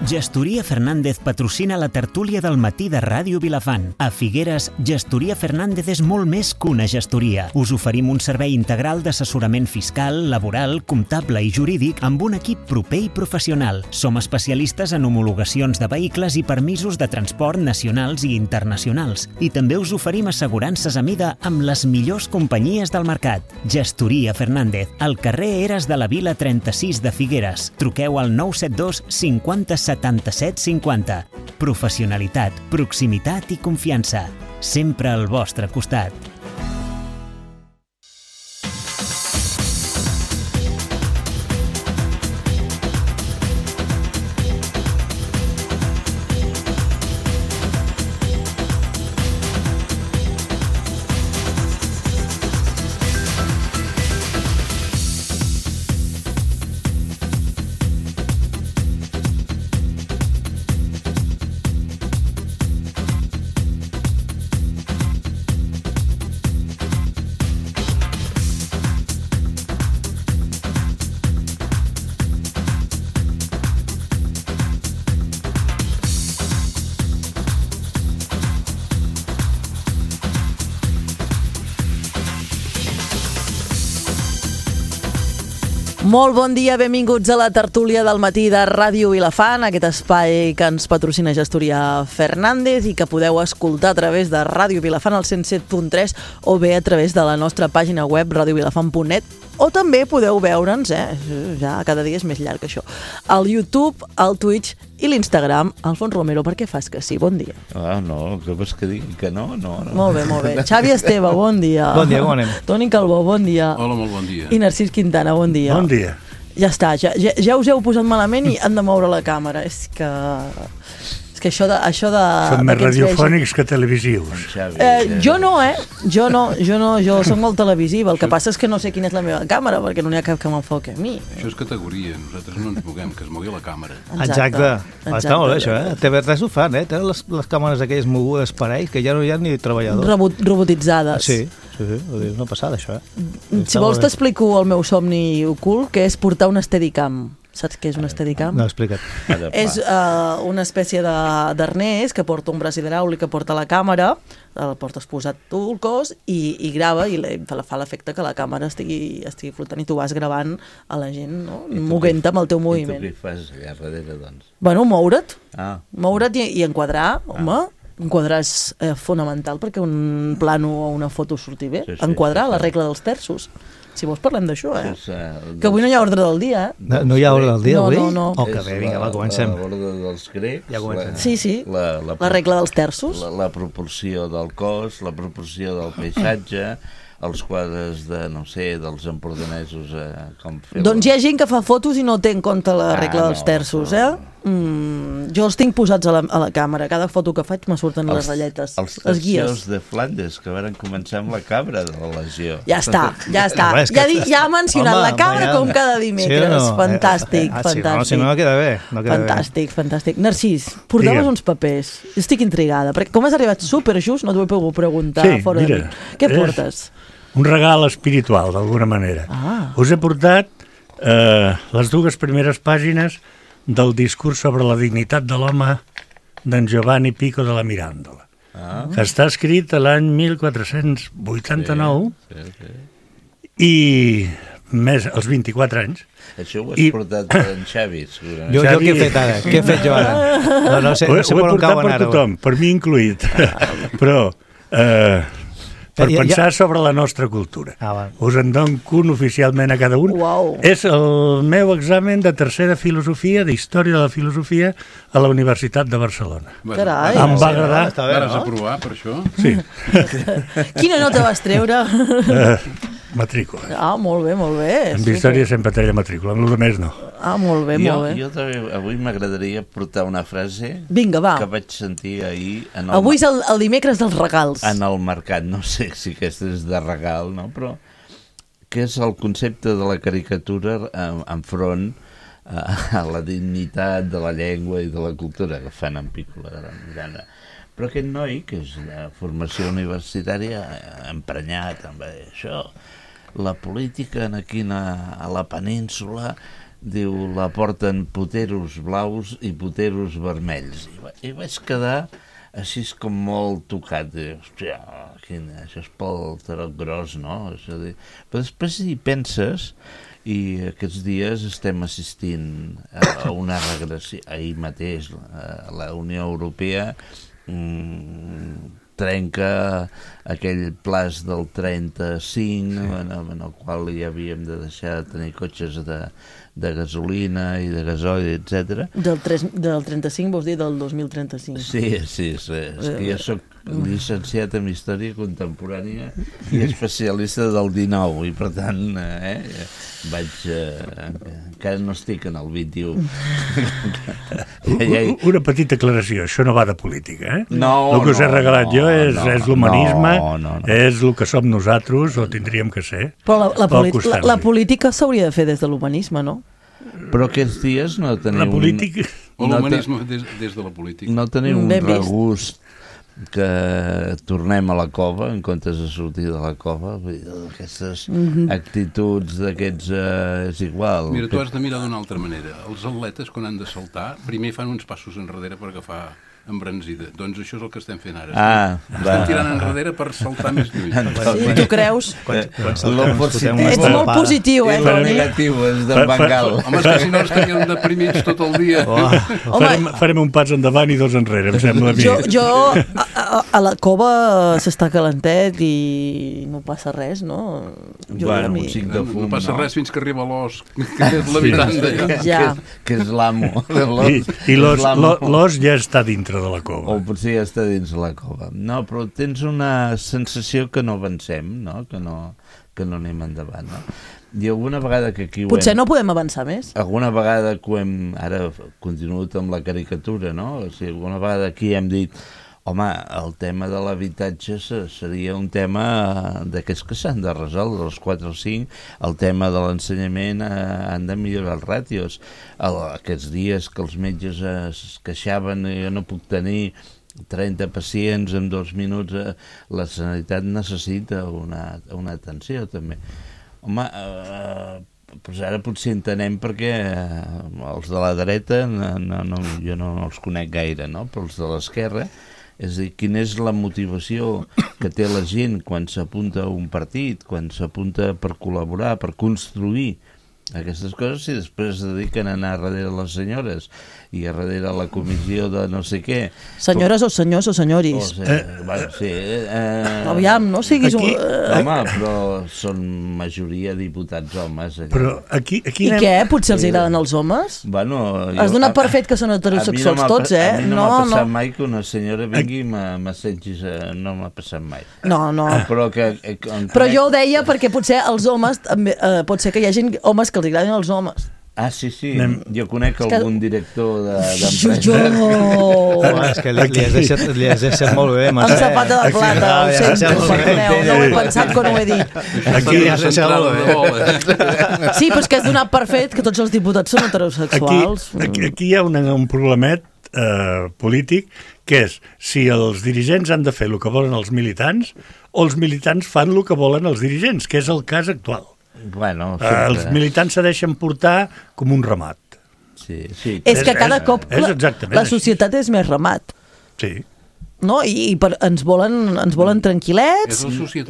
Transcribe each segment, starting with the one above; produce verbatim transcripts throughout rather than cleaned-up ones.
Gestoria Fernández patrocina la tertúlia del matí de Ràdio Vilafant. A Figueres, Gestoria Fernández és molt més que una gestoria. Us oferim un servei integral d'assessorament fiscal, laboral, comptable i jurídic amb un equip proper i professional. Som especialistes en homologacions de vehicles i permisos de transport nacionals i internacionals. I també us oferim assegurances a mida amb les millors companyies del mercat. Gestoria Fernández, al carrer Eres de la Vila trenta-sis de Figueres. Truqueu al nou set dos cinquanta setanta-set cinquanta. Professionalitat, proximitat i confiança. Sempre al vostre costat. Molt bon dia, benvinguts a la tertúlia del matí de Ràdio Vilafant, aquest espai que ens patrocina Gestoria Fernández i que podeu escoltar a través de Ràdio Vilafant al cent set punt tres o bé a través de la nostra pàgina web radio vilafant punt net, o també podeu veure'ns, eh? Ja cada dia és més llarg això, al YouTube, al Twitch i l'Instagram. Alfons Romero, per què fas que sí? Bon dia. Ah, no, què vols que digui? Que no? No, no. Molt bé, molt bé. Xavi Esteve, bon dia. Bon dia, com anem? Toni Calbó, bon dia. Hola, molt bon dia. I Narcís Quintana, bon dia. Bon dia. Ja està, ja, ja, ja us heu posat malament i han de moure la càmera. És que... És que això de... Això de Són de més que ens radiofònics vegin... que televisius. Eh, jo no, eh? Jo no, jo no, jo soc molt televisiva. El que passa és que no sé quina és la meva càmera, perquè no n'hi ha cap que m'enfoqui a mi. Això és categoria, nosaltres no ens moguem, que es mogui la càmera. Exacte. Exacte. Està molt bé això, eh? T V tres ho fan, eh? Tenen les, les càmeres aquelles mogudes per ells, que ja no hi ha ni treballadors. Robot, robotitzades. Sí, sí, sí, és una passada això, eh? Si vols t'explico el meu somni ocult, que és portar un Steadicam. Saps què és un Steadicam? No, explica't. És uh, una espècie d'arnès que porta un braç hidràulic que porta la càmera, el portes posat tu el cos i, i grava i fa l'efecte que la càmera estigui, estigui flotant i tu vas gravant a la gent, no? Moguent-te amb el teu moviment. I tu què fas allà darrere, doncs? Bueno, moure't. Ah. Moure't i, i enquadrar, home. Ah. Enquadrar és eh, fonamental perquè un plano o una foto surti bé. Sí, sí, enquadrar, sí, sí. La regla dels terços. Si vols parlem d'això, eh? Sí, sí. Que avui no hi ha ordre del dia, eh? No, no hi ha ordre del dia, no, avui? No, no, no. Oh, que bé, vinga, va, comencem. L'ordre dels grecs. Ja comencem. Sí, sí, la, la, la regla dels terços. La, la proporció del cos, la proporció del paisatge, els quadres de, no sé, dels empordanesos, eh, com fer... Doncs hi ha gent que fa fotos i no té en compte la regla ah, dels terços, no, eh? Mm, jo els tinc posats a la, a la càmera. Cada foto que faig me surten els, les ratlletes, els les guies. Els de Flandes, que van començar amb la cabra de la legió. Ja està, ja està. Home, ja, di, ja ha mencionat home, la cabra ja... com cada dimecres. Sí no? Fantàstic, ah, fantàstic. Si no, si no queda bé. No queda fantàstic, bé. fantàstic. Narcís, portaves Digue'm. uns papers. Estic intrigada, perquè com has arribat superjust, no t'ho he pogut preguntar sí, fora mira, de mi. Què portes? Un regal espiritual, d'alguna manera. Ah. Us he portat eh, les dues primeres pàgines del discurs sobre la dignitat de l'home d'en Giovanni Pico de la Mirandola, ah. que està escrit a l'any mil quatre-cents vuitanta-nou sí, sí, sí. i més als vint-i-quatre anys. Això ho has I... portat per en Xavi, segurament. Jo, jo què he fet ara? Què he fet jo ara? No, no sé, ho, no sé ho he portat per ara, tothom, per mi incluït, però... Eh, per ja, pensar ja... sobre la nostra cultura. Ah, us en dono un oficialment a cada un. Wow. És el meu examen de tercera filosofia, d'història de la filosofia, a la Universitat de Barcelona. Bueno, Carai. Em va agradar. Està bé, no? Vas aprovar per això? Sí. Quina nota vas treure? Uh, matrícula. Ah, molt bé, molt bé. En història sempre treia matrícula, amb el més no. Ah, molt bé, jo, molt bé. Jo també, avui m'agradaria portar una frase Vinga, va. que vaig sentir ahir... En el avui és el, el dimecres dels regals. En el mercat, no sé si aquesta és de regal, no? Però que és el concepte de la caricatura enfront a, a la dignitat de la llengua i de la cultura que fan en Pico de la Miranda. Però aquest noi, que és de formació universitària, emprenyat amb això, la política aquí a la península diu, la porten poteros blaus i poteros vermells. I, va, i vaig quedar així com molt tocat. Diu, hòstia, quina, això és pel tarot gros, no? És a dir, però després hi penses i aquests dies estem assistint a una regressió. Ahir mateix la Unió Europea mm, trenca aquell plaç del trenta-cinc, sí. en, en el qual hi havíem de deixar de tenir cotxes de, de gasolina i de gasoil, etcètera. Del, del trenta-cinc vols dir del dos mil trenta-cinc? Sí, sí, sí. És que jo soc llicenciat en Història Contemporània i especialista del dinou, i per tant eh, vaig... Eh, encara no estic en el vint-i-u. Una petita aclaració, això no va de política, eh? No, el que us he regalat no, jo és, no, és l'humanisme, no, no, no. és el que som nosaltres, o tindríem que ser. Però la, la, la, la política s'hauria de fer des de l'humanisme, no? Però aquests dies no teniu... La política... O l'humanisme no te... des, des de la política. No teniu un regust que tornem a la cova en comptes de sortir de la cova. Aquestes mm-hmm. actituds d'aquests eh, és igual. Mira, tu has de mirar d'una altra manera. Els atletes, quan han de saltar, primer fan uns passos enrere per agafar embranzida. Doncs això és el que estem fent ara. Ah, estem va. tirant enrere per saltar més lluny. Sí, tu creus? Quan, quan saltem, positiu, ets molt positiu, eh, Toni? El negatiu és de Bengal. Home, és que si no estaríem deprimits tot el dia. Oh. Farem, farem un pas endavant i dos enrere, em sembla a mi. Jo, jo a, a, a la cova s'està calentet i no passa res, no? Jo, bueno, mi... un xic de fum, no passa no? res fins que arriba l'os, que és l'habitant d'allà. Ja. Que, que és l'amo. I, i l'os, l'os ja està dintre de la cova. O potser ja està dins la cova. No, però tens una sensació que no avancem, no? Que no, que no anem endavant, no? I alguna vegada que aquí ho Potser hem... no podem avançar més. Alguna vegada que ho hem... Ara continuat amb la caricatura, no? O sigui, alguna vegada aquí hem dit home, el tema de l'habitatge seria un tema d'aquests que s'han de resoldre, els quatre o cinc, el tema de l'ensenyament eh, han de millorar els ràtios. El, aquests dies que els metges es queixaven, jo no puc tenir trenta pacients en dos minuts, eh, la sanitat necessita una, una atenció també. Home, eh, doncs ara potser entenem perquè eh, els de la dreta, no, no, no, jo no els conec gaire, no? Però els de l'esquerra, és a dir, quina és la motivació que té la gent quan s'apunta a un partit, quan s'apunta per col·laborar, per construir aquestes coses, i després es dediquen a anar darrere les senyores i a darrere la comissió de no sé què. Senyores o senyors o senyoris. O sigui, eh, bueno, sí, eh, aviam, no siguis aquí, un... Eh, home, però són majoria diputats homes. Allà. Però aquí, aquí I anem... què? Potser els agraden els homes? Bueno, jo, Has donat per fet que són heterosexuals no tots, eh? A mi no, no m'ha passat no. mai que una senyora vingui i m'assentis, no m'ha passat mai. No, no. Però, que, que, però jo ho deia perquè potser els homes, també, eh, pot ser que hi hagi homes que els agradin els homes. Ah, sí, sí. Anem... Jo conec que... algun director d'empresa. Jo... Home, és que li, li, has deixat, li has deixat molt bé, Amb sapata de plata, ho sento, perdoneu, no ho he pensat quan ho he dit. Aquí li has deixat molt bé. Sí, però és que has donat per fet que tots els diputats són heterosexuals. Aquí, aquí, aquí hi ha una, un problemet eh, polític, que és si els dirigents han de fer el que volen els militants o els militants fan el que volen els dirigents, que és el cas actual. Bueno, eh, els militants se deixen portar com un ramat. Sí, sí. És que cada és, cop és la, la societat és més ramat. Sí. No? I, i per, ens, volen, ens volen tranquil·lets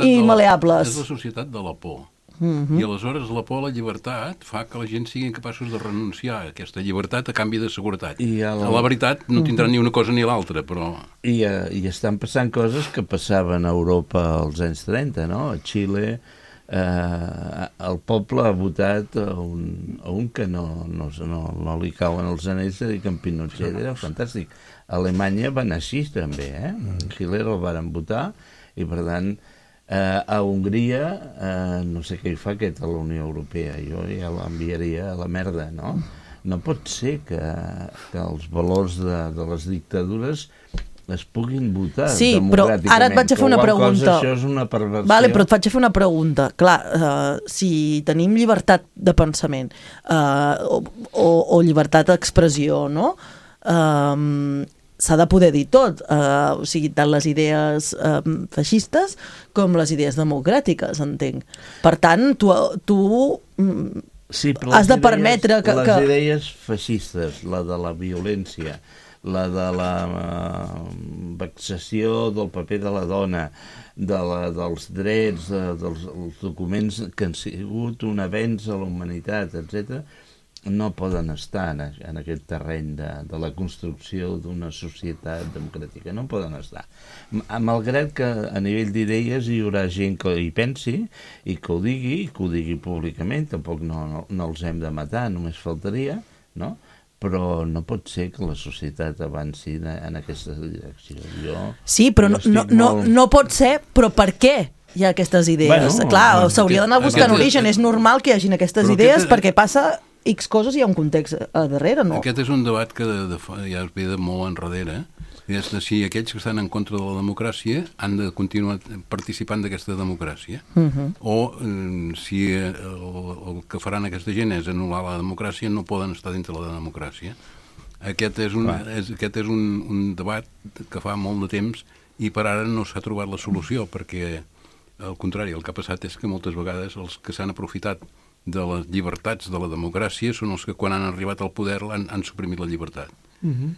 i maleables. És la societat de la por. Mm-hmm. I aleshores la por a la llibertat fa que la gent siguin capaços de renunciar a aquesta llibertat a canvi de seguretat. I a la... la veritat no tindran mm-hmm. ni una cosa ni l'altra, però... I, uh, I estan passant coses que passaven a Europa als anys trenta, no? A Xile... Eh, el poble ha votat a un, a un que no, no, no, no li cauen els anells de dir que en Pinochet era fantàstic. A Alemanya va anar així també, eh? Hitler el varen votar i per tant eh, a Hongria eh, no sé què hi fa aquest a la Unió Europea, jo ja l'enviaria a la merda, no? No pot ser que, que els valors de, de les dictadures es puguin votar sí, democràticament. Però ara et vaig a fer una pregunta. Cosa, això és una perversió. Vale, però et faig a fer una pregunta. Clar, uh, si tenim llibertat de pensament uh, o, o, o llibertat d'expressió, no? Uh, s'ha de poder dir tot, uh, o sigui, tant les idees uh, feixistes com les idees democràtiques, entenc. Per tant, tu... tu sí, has de permetre idees, que... Les que... idees feixistes, la de la violència, la de la uh, vexació del paper de la dona, de la, dels drets, de, dels documents que han sigut un avenç a la humanitat, etcètera, no poden estar en, en aquest terreny de, de la construcció d'una societat democràtica, no poden estar. Malgrat que a nivell d'idees hi haurà gent que hi pensi i que ho digui, i que ho digui públicament, tampoc no, no, no els hem de matar, només faltaria, no? Però no pot ser que la societat avanci de, en aquesta direcció. Jo, sí, però no, no, no, molt... no pot ser, però per què hi ha aquestes idees? Bueno, clar, s'hauria d'anar buscant origen, és normal que hi hagin aquestes idees aquest... perquè passa X coses, hi ha un context a darrere, no? Aquest és un debat que de, de, ja es ve de molt enrere, és de si aquells que estan en contra de la democràcia han de continuar participant d'aquesta democràcia, uh-huh. o eh, si el, el que faran aquesta gent és anul·lar la democràcia, no poden estar dintre la democràcia. Aquest és un, és, aquest és un, un debat que fa molt de temps i per ara no s'ha trobat la solució, perquè al contrari, el que ha passat és que moltes vegades els que s'han aprofitat de les llibertats de la democràcia són els que quan han arribat al poder han, han suprimit la llibertat. Uh-huh.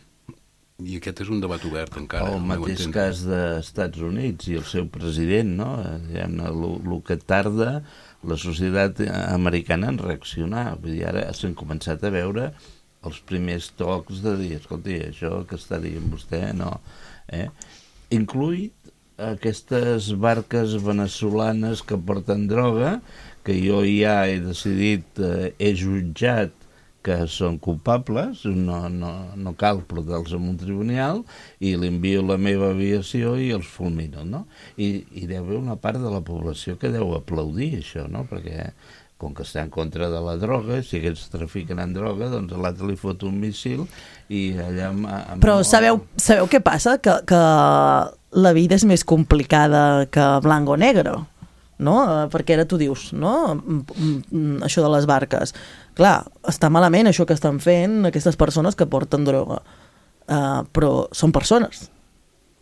I aquest és un debat obert encara. El mateix cas dels Estats Units i el seu president, no? El que tarda la societat americana en reaccionar. Vull dir, ara s'han començat a veure els primers tocs de dir, escolti, això que està dient vostè, no. Eh? Incluït aquestes barques venezolanes que porten droga, que jo ja he decidit, eh, he jutjat que són culpables, no, no, no cal portar-los en un tribunal, i li envio la meva aviació i els fulmino, no? I, i deu haver una part de la població que deu aplaudir això, no? Perquè com que està en contra de la droga, si aquests trafiquen en droga, doncs l'altre li fot un míssil i allà... Amb, amb... Però sabeu, sabeu què passa? Que, que la vida és més complicada que blanc o negre, no? Perquè ara tu dius, no? Això de les barques. Clar, està malament això que estan fent aquestes persones que porten droga, uh, però són persones.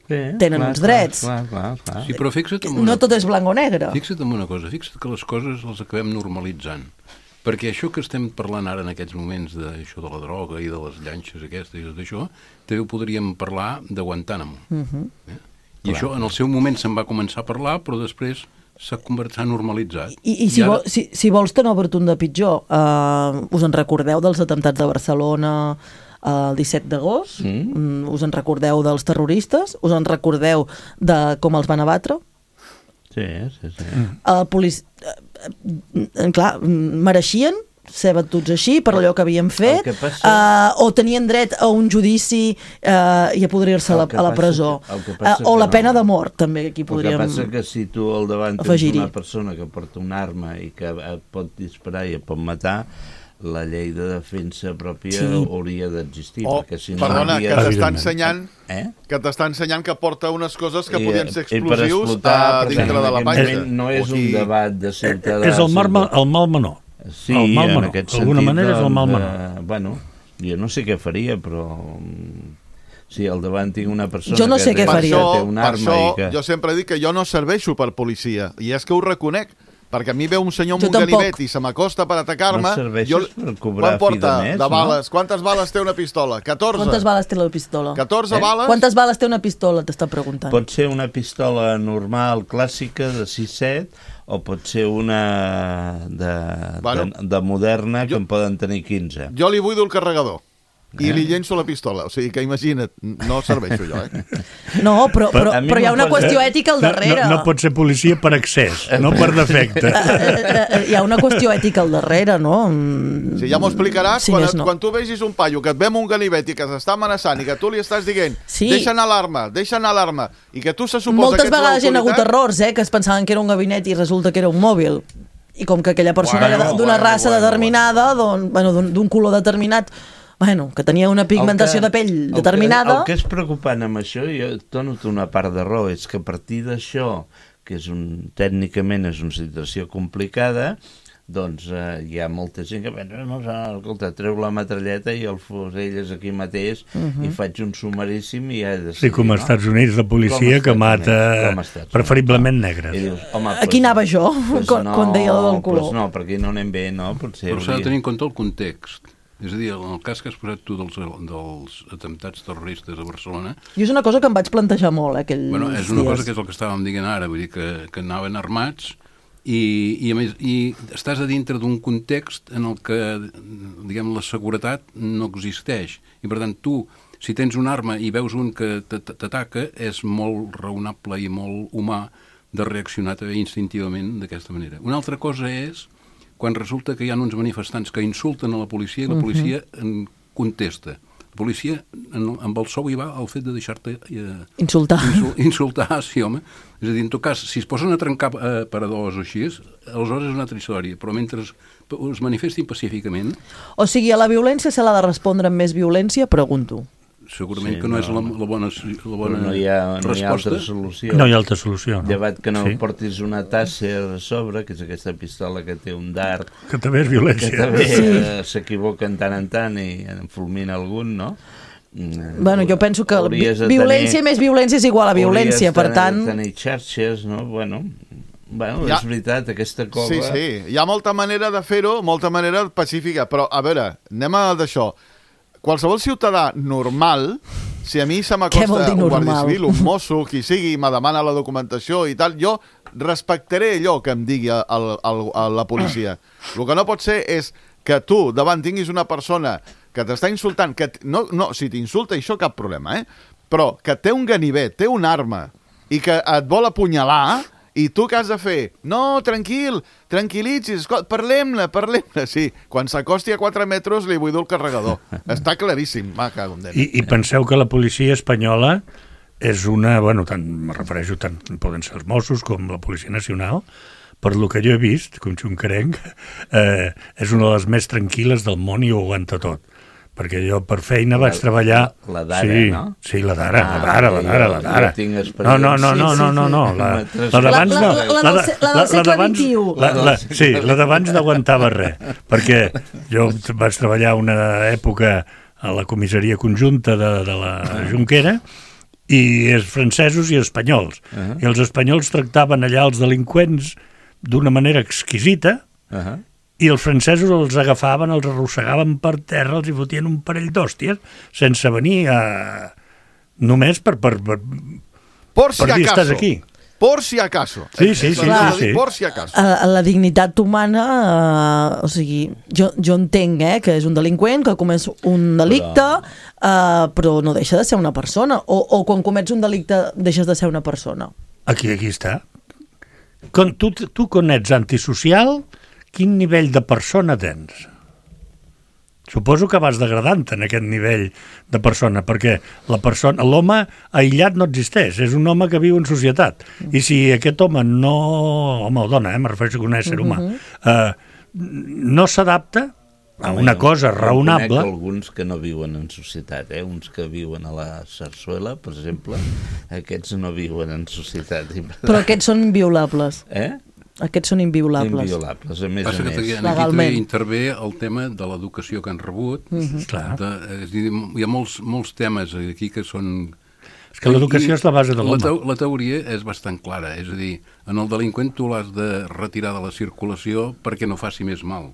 Sí, tenen clar, uns drets. Clar, clar, clar. Sí, però fixa't en una... No tot és blanc o negre. Fixa't en una cosa, fixa't que les coses les acabem normalitzant. Perquè això que estem parlant ara en aquests moments d'això de la droga i de les llanxes aquestes i tot això, també ho podríem parlar de Guantánamo. Uh-huh. eh? I clar. Això en el seu moment se'n va començar a parlar, però després s'ha s'ha normalitzat. I, i, si, I ara... vol, si, si vols que no obert un de pitjor, uh, us en recordeu dels atemptats de Barcelona el disset d'agost? Mm. Us en recordeu dels terroristes? Us en recordeu de com els van abatre? Sí, sí, sí. Uh, polic... uh, clar, mereixien ser batuts així per allò que havien fet, passa... uh, o tenien dret a un judici uh, i a podrir-se a, a la presó, que, que uh, o la pena no. de mort, també, aquí podríem afegir-hi. El que passa que si tu al davant tens una persona que porta una arma i que et pot disparar i et pot matar, la llei de defensa pròpia sí. hauria d'existir. Oh, perquè si no perdona, havia... que t'està ensenyant, eh? que t'està ensenyant que porta unes coses que I, podien ser explosius explotar, dintre de la panxa. No és un debat de ciutadà. És el mal, el mal menor. Sí, el mal en menor. aquest D'alguna sentit, manera és el mal menor. Eh, bueno, jo no sé què faria, però si al davant tinc una persona jo no sé que, què té, faria. que té una per arma això, i que... jo sempre dic que jo no serveixo per policia, i és que ho reconec, perquè a mi veu un senyor amb jo un tampoc. ganivet i se m'acosta per atacar-me. No serveixes jo... per cobrar fi de mes, de bales? No? Quantes bales té una pistola? catorze. Quantes bales té la pistola? catorze eh? bales? Quantes bales té una pistola, t'està preguntant? Pot ser una pistola normal, clàssica, de sis set, o pot ser una de, bueno, de, de moderna, jo, que en poden tenir quinze. Jo li buido el carregador i li llenço la pistola, o sigui que imagina't, no serveixo jo, eh? No, però, però, però, però hi ha una qüestió ètica al darrere. No, no, no pot ser policia per excés, no per defecte. Hi ha una qüestió ètica al darrere, no? Sí, ja m'ho explicaràs, sí, quan, et, no. quan tu vegis un paio que et ve amb un ganivet i que s'està amenaçant i que tu li estàs dient, sí. deixa anar l'arma, deixa anar l'arma, i que tu se suposa moltes que ets vegades hi ha hagut errors, eh, que es pensaven que era un gabinet i resulta que era un mòbil. I com que aquella persona bueno, era d'una bueno, raça bueno, determinada, bueno. d'un bueno, color determinat, bueno, que tenia una pigmentació que, de pell determinada... El que, el que és preocupant amb això, jo dono una part de raó, és que a partir d'això, que és un, tècnicament és una situació complicada, doncs eh, hi ha molta gent que pensa, no, escolta, treu la metralleta i el fusell és aquí mateix uh-huh. i faig un sumaríssim i ja he decidit, sí, com als Estats Units, la policia que mata preferiblement negres. Dius, home, aquí pues, anava jo, pues quan, no, quan deia el del color. Pues no, perquè no anem bé, no? Potser però s'ha de tenir en compte el context. És a dir, en el cas que has posat tu dels, dels atemptats terroristes a Barcelona... I és una cosa que em vaig plantejar molt, eh, aquells bueno, és una dies. cosa que és el que estàvem dient ara, vull dir que, que anaven armats i, i a més i estàs a dintre d'un context en el que, diguem, la seguretat no existeix. I per tant, tu, si tens una arma i veus un que t'ataca, és molt raonable i molt humà de reaccionar instintivament d'aquesta manera. Una altra cosa és quan resulta que hi ha uns manifestants que insulten a la policia i la policia en contesta. La policia, amb el sou hi va el fet de deixar-te... Eh, insultar. Insul, insultar, sí, home. És a dir, en tot cas, si es posen a trencar eh, paradors o així, aleshores és una altra història, però mentre es, es manifestin pacíficament... O sigui, a la violència se l'ha de respondre amb més violència, pregunto. Segurament sí, que no, no és la, la bona, la bona no hi ha, no resposta. Hi ha altra solució. No hi ha altra solució. No. Llevat que no sí. portis una tasser a sobre, que és aquesta pistola que té un dard. Que també és violència. Que també sí. eh, s'equivoquen tant en tant i en fulmina algun, no? Bueno, jo penso que vi violència tenir, més violència és igual a violència, per tant... Hauries de tenir xarxes, no? Bueno... Bueno, ja, és veritat, aquesta cova... Sí, sí, hi ha molta manera de fer-ho, molta manera pacífica, però, a veure, anem a d'això. Qualsevol ciutadà normal, si a mi se m'acosta un guàrdia civil, un mosso, qui sigui, me demana la documentació i tal, jo respectaré allò que em digui el, el, el, la policia. El que no pot ser és que tu davant tinguis una persona que t'està insultant, que no, no, si t'insulta això cap problema, eh? Però que té un ganivet, té una arma i que et vol apunyalar... I tu què has de fer? No, tranquil, tranquil·litzis, parlem-ne, parlem-ne. Sí, quan s'acosti a quatre metres li vull dur el carregador. Està claríssim, va, cago en Déu. I, I penseu que la policia espanyola és una, bueno, tant, me refereixo, tant poden ser els Mossos com la Policia Nacional, per lo que jo he vist, com xuncarenc, eh, és una de les més tranquil·les del món i ho aguanta tot. Perquè jo per feina vaig treballar... La, la d'ara, sí, no? Sí, la d'ara, ah, la d'ara, la d'ara, la d'ara. No, no, no, no, no, no, no. La, la d'abans no. La del segle vint-i-u. Sí, la d'abans no aguantava res, perquè jo vaig treballar una època a la comissaria conjunta de, de la Jonquera i els francesos i espanyols. Uh -huh. I els espanyols tractaven allà els delinqüents d'una manera exquisita, uh -huh. i els francesos els agafaven, els arrossegaven per terra, els hi fotien un parell d'hòsties sense venir a... només per, per, per, por si per dir estàs aquí. Por si acaso. Sí, sí, sí. sí, sí. Por si acaso. La, la dignitat humana, eh, o sigui, jo, jo entenc eh, que és un delinqüent, que comès un delicte, però... Eh, però no deixa de ser una persona. O, o quan comets un delicte deixes de ser una persona. Aquí, aquí està. Quan tu, tu quan ets antisocial... Quin nivell de persona tens? Suposo que vas degradant en aquest nivell de persona, perquè la persona, l'home aïllat no existeix, és un home que viu en societat. I si aquest home no... home o dona, eh, me refereixo a un ésser humà, eh, no s'adapta a una cosa raonable... Jo conec alguns que no viuen en societat, eh? Uns que viuen a la Sarsuela, per exemple, aquests no viuen en societat. Però aquests són inviolables. Eh? Aquests són inviolables. Inviolables, a més Passa a més. Que aquí també intervé el tema de l'educació que han rebut. Mm-hmm. Clar. De, és dir, hi ha molts, molts temes aquí que són... És que l'educació és la base de l'home. La, te la teoria és bastant clara, és a dir, en el delinqüent tu l'has de retirar de la circulació perquè no faci més mal.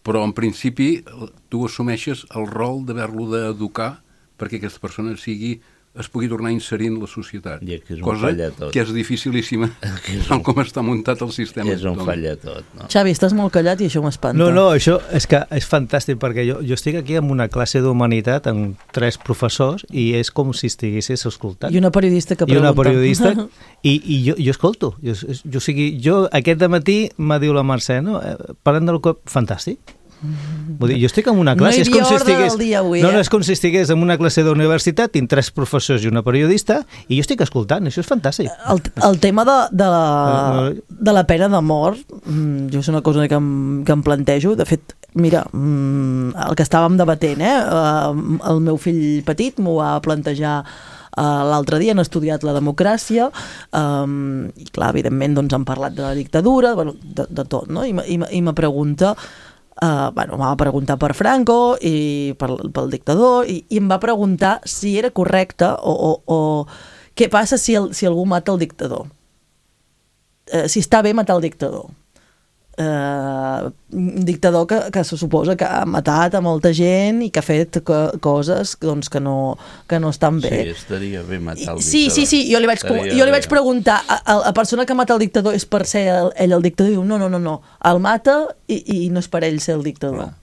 Però en principi tu assumeixes el rol d'haver-lo d'educar perquè aquesta persona sigui... es pugui tornar a inserir en la societat. I que és un cosa tot. Que és dificilíssima és un... com està muntat el sistema. És un falla tot. No? Xavi, estàs molt callat i això m'espanta. No, no, això és que és fantàstic perquè jo, jo estic aquí amb una classe d'humanitat amb tres professors i és com si estiguessis escoltant. I una periodista que pregunta. I una periodista i, i jo, jo escolto. Jo, jo, sigui, jo aquest dematí m'ha dit la Mercè, no? Parlant del cop, fantàstic. Vull dir, jo estic en una classe... No hi havia ordre del dia avui, eh? No, no, és com si estigués en una classe d'universitat, tinc tres professors i una periodista, i jo estic escoltant, això és fantàstic. El, el tema de, de, la, de la pena de mort, jo és una cosa que em, que em plantejo. De fet, mira, el que estàvem debatent, eh? El meu fill petit m'ho va plantejar uh, l'altre dia, han estudiat la democràcia, um, i clar, evidentment doncs, han parlat de la dictadura, bueno, de, de tot, no? I, i, i me pregunta, uh, bueno, m'ha preguntat per Franco i per, pel dictador, i, i em va preguntar si era correcte o, o, o què passa si, el, si algú mata el dictador. Uh, si està bé matar el dictador. Uh, un dictador que, que se suposa que ha matat a molta gent i que ha fet co coses doncs, que, no, que no estan bé. Sí, estaria bé matar el dictador. Sí, sí, sí, jo li vaig, jo li vaig preguntar a, a la persona que mata el dictador és per ser el, ell el dictador, i diu no, no, no, no, el mata i, i no és per ell ser el dictador. No.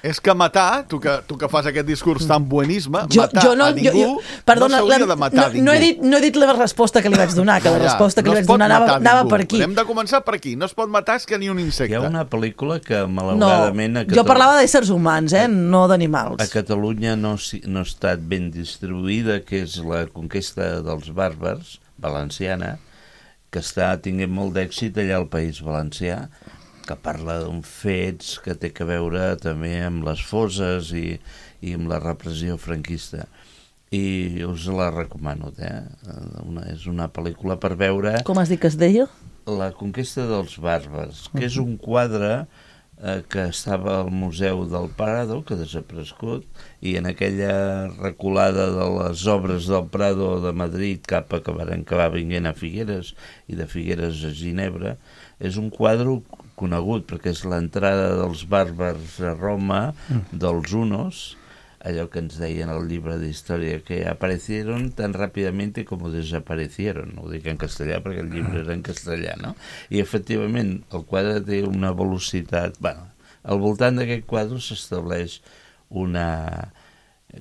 És que matar, tu que, tu que fas aquest discurs tan buenisme, jo, matar jo no, a ningú jo, jo, perdona, no s'hauria de matar no, a ningú. No he, dit, no he dit la resposta que li vaig donar, que la ja, resposta que no li vaig donar anava, anava per aquí. Hem de començar per aquí. No es pot matar és que ni un insecte. Hi ha una pel·lícula que, malauradament... No, jo parlava d'éssers humans, eh, no d'animals. A Catalunya no, no ha estat ben distribuïda, que és la conquesta dels bàrbars, valenciana, que està tinguent molt d'èxit allà al País Valencià, que parla d'uns fets que té que veure també amb les fosses i, i amb la repressió franquista. I us la recomano, eh? Una, és una pel·lícula per veure... Com has dit que es deia? La conquesta dels bàrbars, que és un quadre eh, que estava al Museu del Prado, que ha desaparegut, i en aquella reculada de les obres del Prado de Madrid cap a que van acabar vinguent a Figueres i de Figueres a Ginebra, és un quadre conegut perquè és l'entrada dels bàrbars a Roma, dels hunos, allò que ens deien al llibre d'història, que aparecieron tan ràpidamente como desaparecieron. Ho dic en castellà perquè el llibre era en castellà, no? I efectivament el quadre té una velocitat... Bueno, al voltant d'aquest quadre s'estableix una...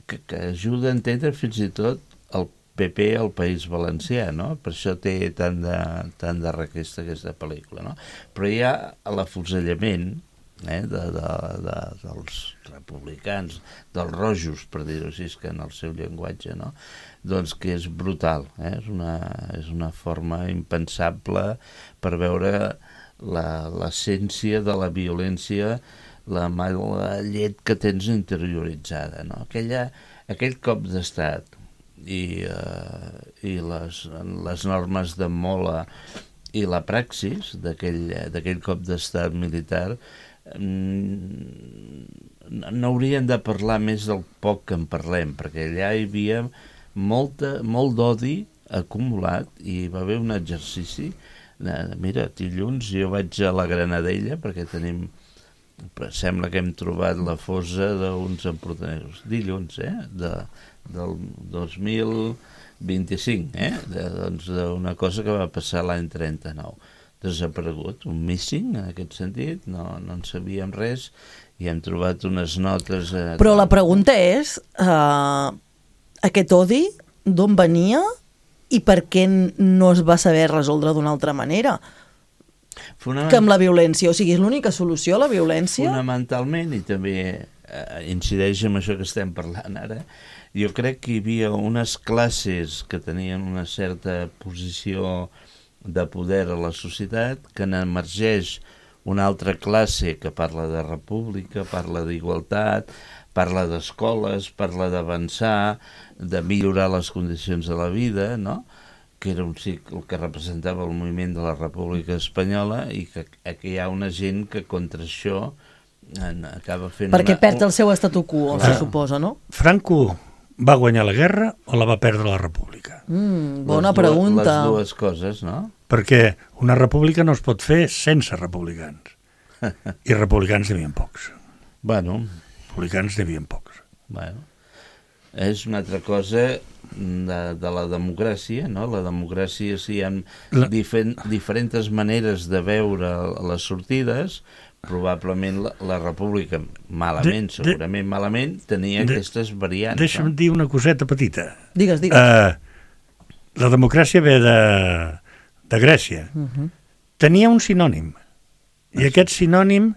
Que, que ajuda a entendre fins i tot el P P al País Valencià, no? Per això té tant de, tant de requesta aquesta pel·lícula, no? Però hi ha l'afusellament eh, de, de, de, dels republicans, dels rojos, per dir-ho així, que en el seu llenguatge, no? Doncs que és brutal, eh? És una, és una forma impensable per veure l'essència de la violència, la mala llet que tens interioritzada, no? Aquella, aquell cop d'estat i, uh, i les, les normes de Mola i la praxis d'aquell cop d'estat militar mm, no haurien de parlar més del poc que en parlem, perquè allà hi havia molta, molt d'odi acumulat i hi va haver un exercici de, mira, dilluns jo vaig a la Granadella perquè tenim, sembla que hem trobat la fossa d'uns empordanesos dilluns, eh, de del dos mil vint-i-cinc, eh? De, doncs d'una cosa que va passar l'any trenta-nou. Desaparegut, un missing en aquest sentit, no, no en sabíem res i hem trobat unes notes... Eh, Però la pregunta és, uh, aquest odi d'on venia i per què no es va saber resoldre d'una altra manera? Fonament... Que amb la violència, o sigui, és l'única solució, la violència? Fonamentalment, i també eh, incideix en això que estem parlant ara, jo crec que hi havia unes classes que tenien una certa posició de poder a la societat, que n'emergeix una altra classe que parla de república, parla d'igualtat, parla d'escoles, parla d'avançar, de millorar les condicions de la vida, no? Que era un cicle que representava el moviment de la República Espanyola i que aquí hi ha una gent que contra això acaba fent... Perquè una... perd el seu statu quo, se suposa, no? Franco va guanyar la guerra o la va perdre la república? Mm, bona les pregunta. Les dues coses, no? Perquè una república no es pot fer sense republicans. I republicans n'hi havia pocs. Bueno. Republicans n'hi havia pocs. Bueno. És una altra cosa de, de la democràcia, no? La democràcia, sí, hi ha la... difer diferents maneres de veure les sortides. Probablement la, la república, malament, de, segurament de, malament, tenia de, aquestes variants. Deixa'm no? dir una coseta petita. Digues, digues. Uh, la democràcia ve de, de Grècia. Uh -huh. Tenia un sinònim, i aquest sinònim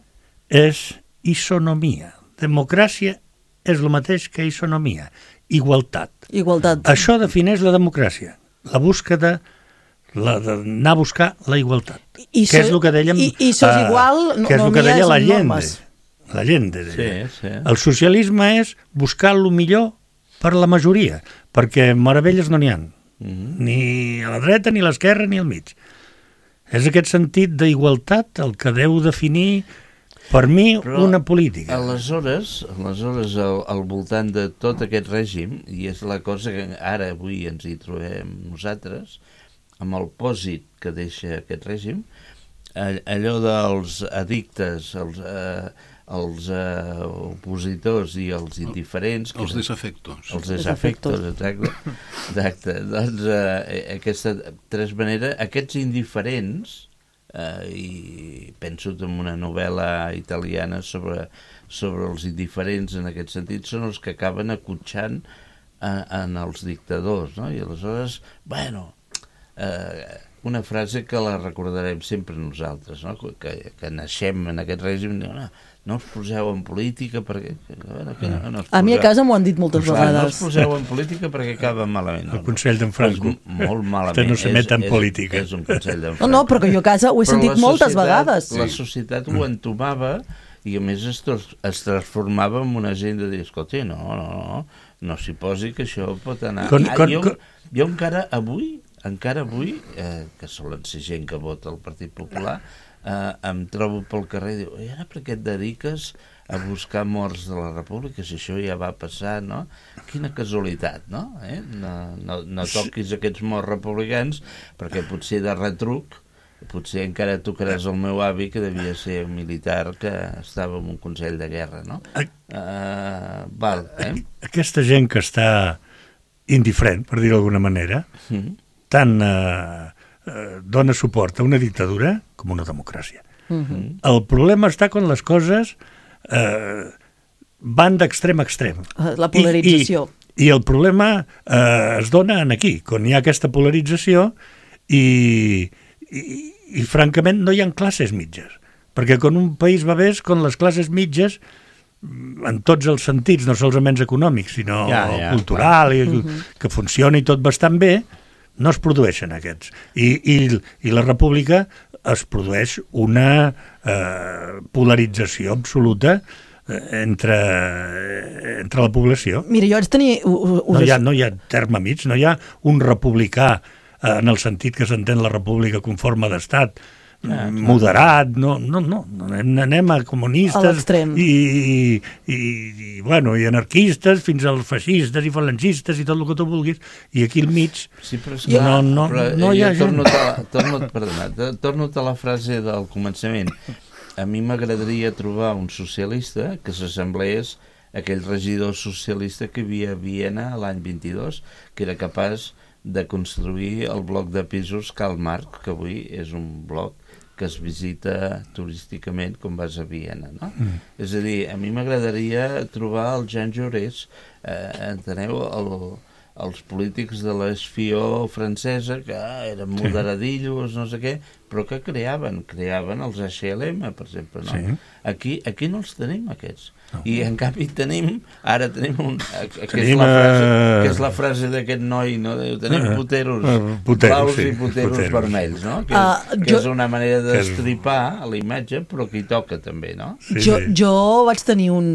és isonomia. Democràcia és el mateix que isonomia, igualtat. Igualtat. Això defineix la democràcia, la búsqueda d'anar a buscar la igualtat. I, i que és el que dèiem... I, i sos uh, igual, no, que és el no que deia l'Allende. L'Allende. L'Allende. Sí, sí. El socialisme és buscar el millor per la majoria, perquè meravelles no n'hi ha, mm-hmm. ni a la dreta, ni a l'esquerra, ni al mig. És aquest sentit d'igualtat el que deu definir, per mi, però una política. Aleshores, aleshores al, al voltant de tot aquest règim, i és la cosa que ara avui ens hi trobem nosaltres, amb el pòsit que deixa aquest règim, allò dels addictes, els, eh, els eh, opositors i els indiferents... Els desafectos. Els desafectos, exacte. exacte. Doncs eh, aquesta, de tres maneres, aquests indiferents, eh, i penso en una novel·la italiana sobre, sobre els indiferents en aquest sentit, són els que acaben acotxant en, en els dictadors, no? I aleshores, bueno... Eh, una frase que la recordarem sempre nosaltres, no? que, que naixem en aquest règim, no, no us poseu en política perquè... Que, que no, no a mi a casa m'ho han dit moltes no, vegades. No us poseu en política perquè acaba malament. El consell d'en Franco. Pues, molt malament. No se met en política. És, és un consell d'en Franco. No, no, però que jo a casa ho he sentit moltes vegades. La societat ho entomava i a més es, es transformava en una gent de dir, escolta, no, no, no, no s'hi posi que això pot anar... Con, ah, con, jo, con... jo encara avui encara avui, eh, que solen ser gent que vota el Partit Popular, eh, em trobo pel carrer i diu, i ara per què et dediques a buscar morts de la República, si això ja va passar, no? Quina casualitat, no? Eh? No, no, no toquis aquests morts republicans, perquè potser de retruc, potser encara tocaràs el meu avi, que devia ser un militar que estava en un consell de guerra, no? Uh, val, eh? Aquesta gent que està indiferent, per dir-ho d'alguna manera, mm. tant eh, eh, dona suport a una dictadura com a una democràcia. Mm-hmm. El problema està quan les coses eh, van d'extrem a extrem. La polarització. I, i, i el problema eh, es dona en aquí, quan hi ha aquesta polarització i, i, i francament no hi ha classes mitges. Perquè quan un país va bé és quan les classes mitges, en tots els sentits, no solament econòmics, sinó ja, ja, cultural, i, uh-huh. que funciona i tot bastant bé, no es produeixen aquests. I, i, i la república es produeix una eh, polarització absoluta entre, entre la població. Mira, jo haig de tenir... No hi ha, no hi ha terme mig, no hi ha un republicà eh, en el sentit que s'entén la república com forma d'estat, Ah, moderat, no, no, no, anem, anem a comunistes i, i, i, i, bueno, i anarquistes fins als feixistes i falangistes i tot el que tu vulguis, i aquí al mig sí, però és no, clar, no, però no hi ha gent. Torno a, torno, perdona, torno a la frase del començament. A mi m'agradaria trobar un socialista que s'assemblés a aquell regidor socialista que hi havia a Viena l'any vint-i-dos, que era capaç de construir el bloc de pisos Karl Marx, que avui és un bloc que es visita turísticament com vas a Viena, no? Mm. És a dir, a mi m'agradaria trobar el Jean Jaurès, eh, enteneu, el, els polítics de l'esfió francesa, que ah, eren moderadillos, no sé què, però que creaven, creaven els H L M, per exemple, no? Sí. Aquí, aquí no els tenim, aquests. No. I en canvi tenim, ara tenim un, que, tenim, és la frase, que és la frase d'aquest noi, no? Tenim puteros, uh, puteros blaus sí, i puteros, puteros vermells, no? Que, uh, és, que jo, és una manera d'estripar a la imatge, però que hi toca també, no? Sí, jo, sí. jo vaig tenir un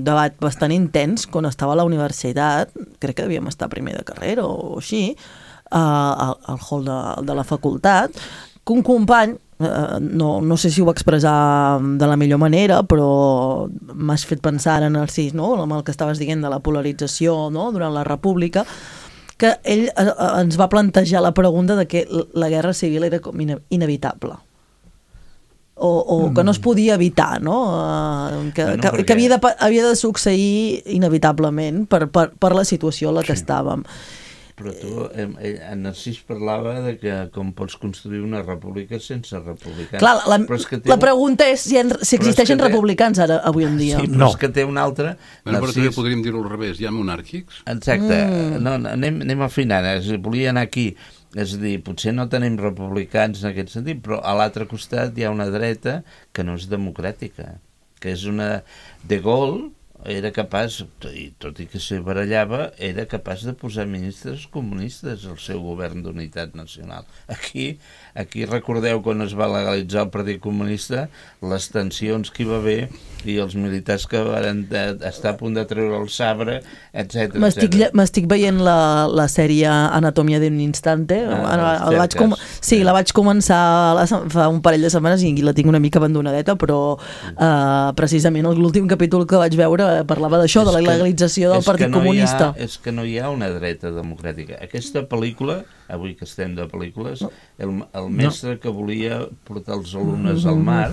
debat bastant intens quan estava a la universitat, crec que devíem estar primer de carrera o així, uh, al, al hall de, de la facultat, que un company, Uh, no, no sé si ho va expressar de la millor manera, però m'has fet pensar en el sis, no? amb el que estaves dient de la polarització, no? Durant la República, que ell uh, ens va plantejar la pregunta de que la guerra civil era com ine inevitable o, o mm. que no es podia evitar, no? Uh, que, bueno, que, perquè... que havia, de, havia de succeir inevitablement per, per, per la situació en la que sí. estàvem. Però tu, eh, en Narcís parlava de que com pots construir una república sense republicans. Clar, la, la pregunta és si, en, si existeixen té... republicans ara, avui en dia. Sí, però no. És que té una altra... Bueno, Narcís... Però també podríem dir-ho al revés, hi ha monàrquics? Exacte, mm. no, anem, anem afinant, volia anar aquí, és a dir, potser no tenim republicans en aquest sentit, però a l'altre costat hi ha una dreta que no és democràtica, que és una... De Gaulle, era capaç, i tot i que se barallava, era capaç de posar ministres comunistes al seu govern d'unitat nacional. Aquí, aquí recordeu quan es va legalitzar el Partit Comunista, les tensions que hi va haver i els militars que van estar a punt de treure el sabre, etcètera. M'estic veient la, la sèrie Anatomia d'un instante. Ah, el vaig com... Sí, la vaig començar la, fa un parell de setmanes i la tinc una mica abandonadeta, però uh, precisament l'últim capítol que vaig veure parlava d'això, de la legalització del Partit no Comunista. Ha, és que no hi ha una dreta democràtica. Aquesta pel·lícula, avui que estem de pel·lícules, el, el mestre no. que volia portar els alumnes al mar,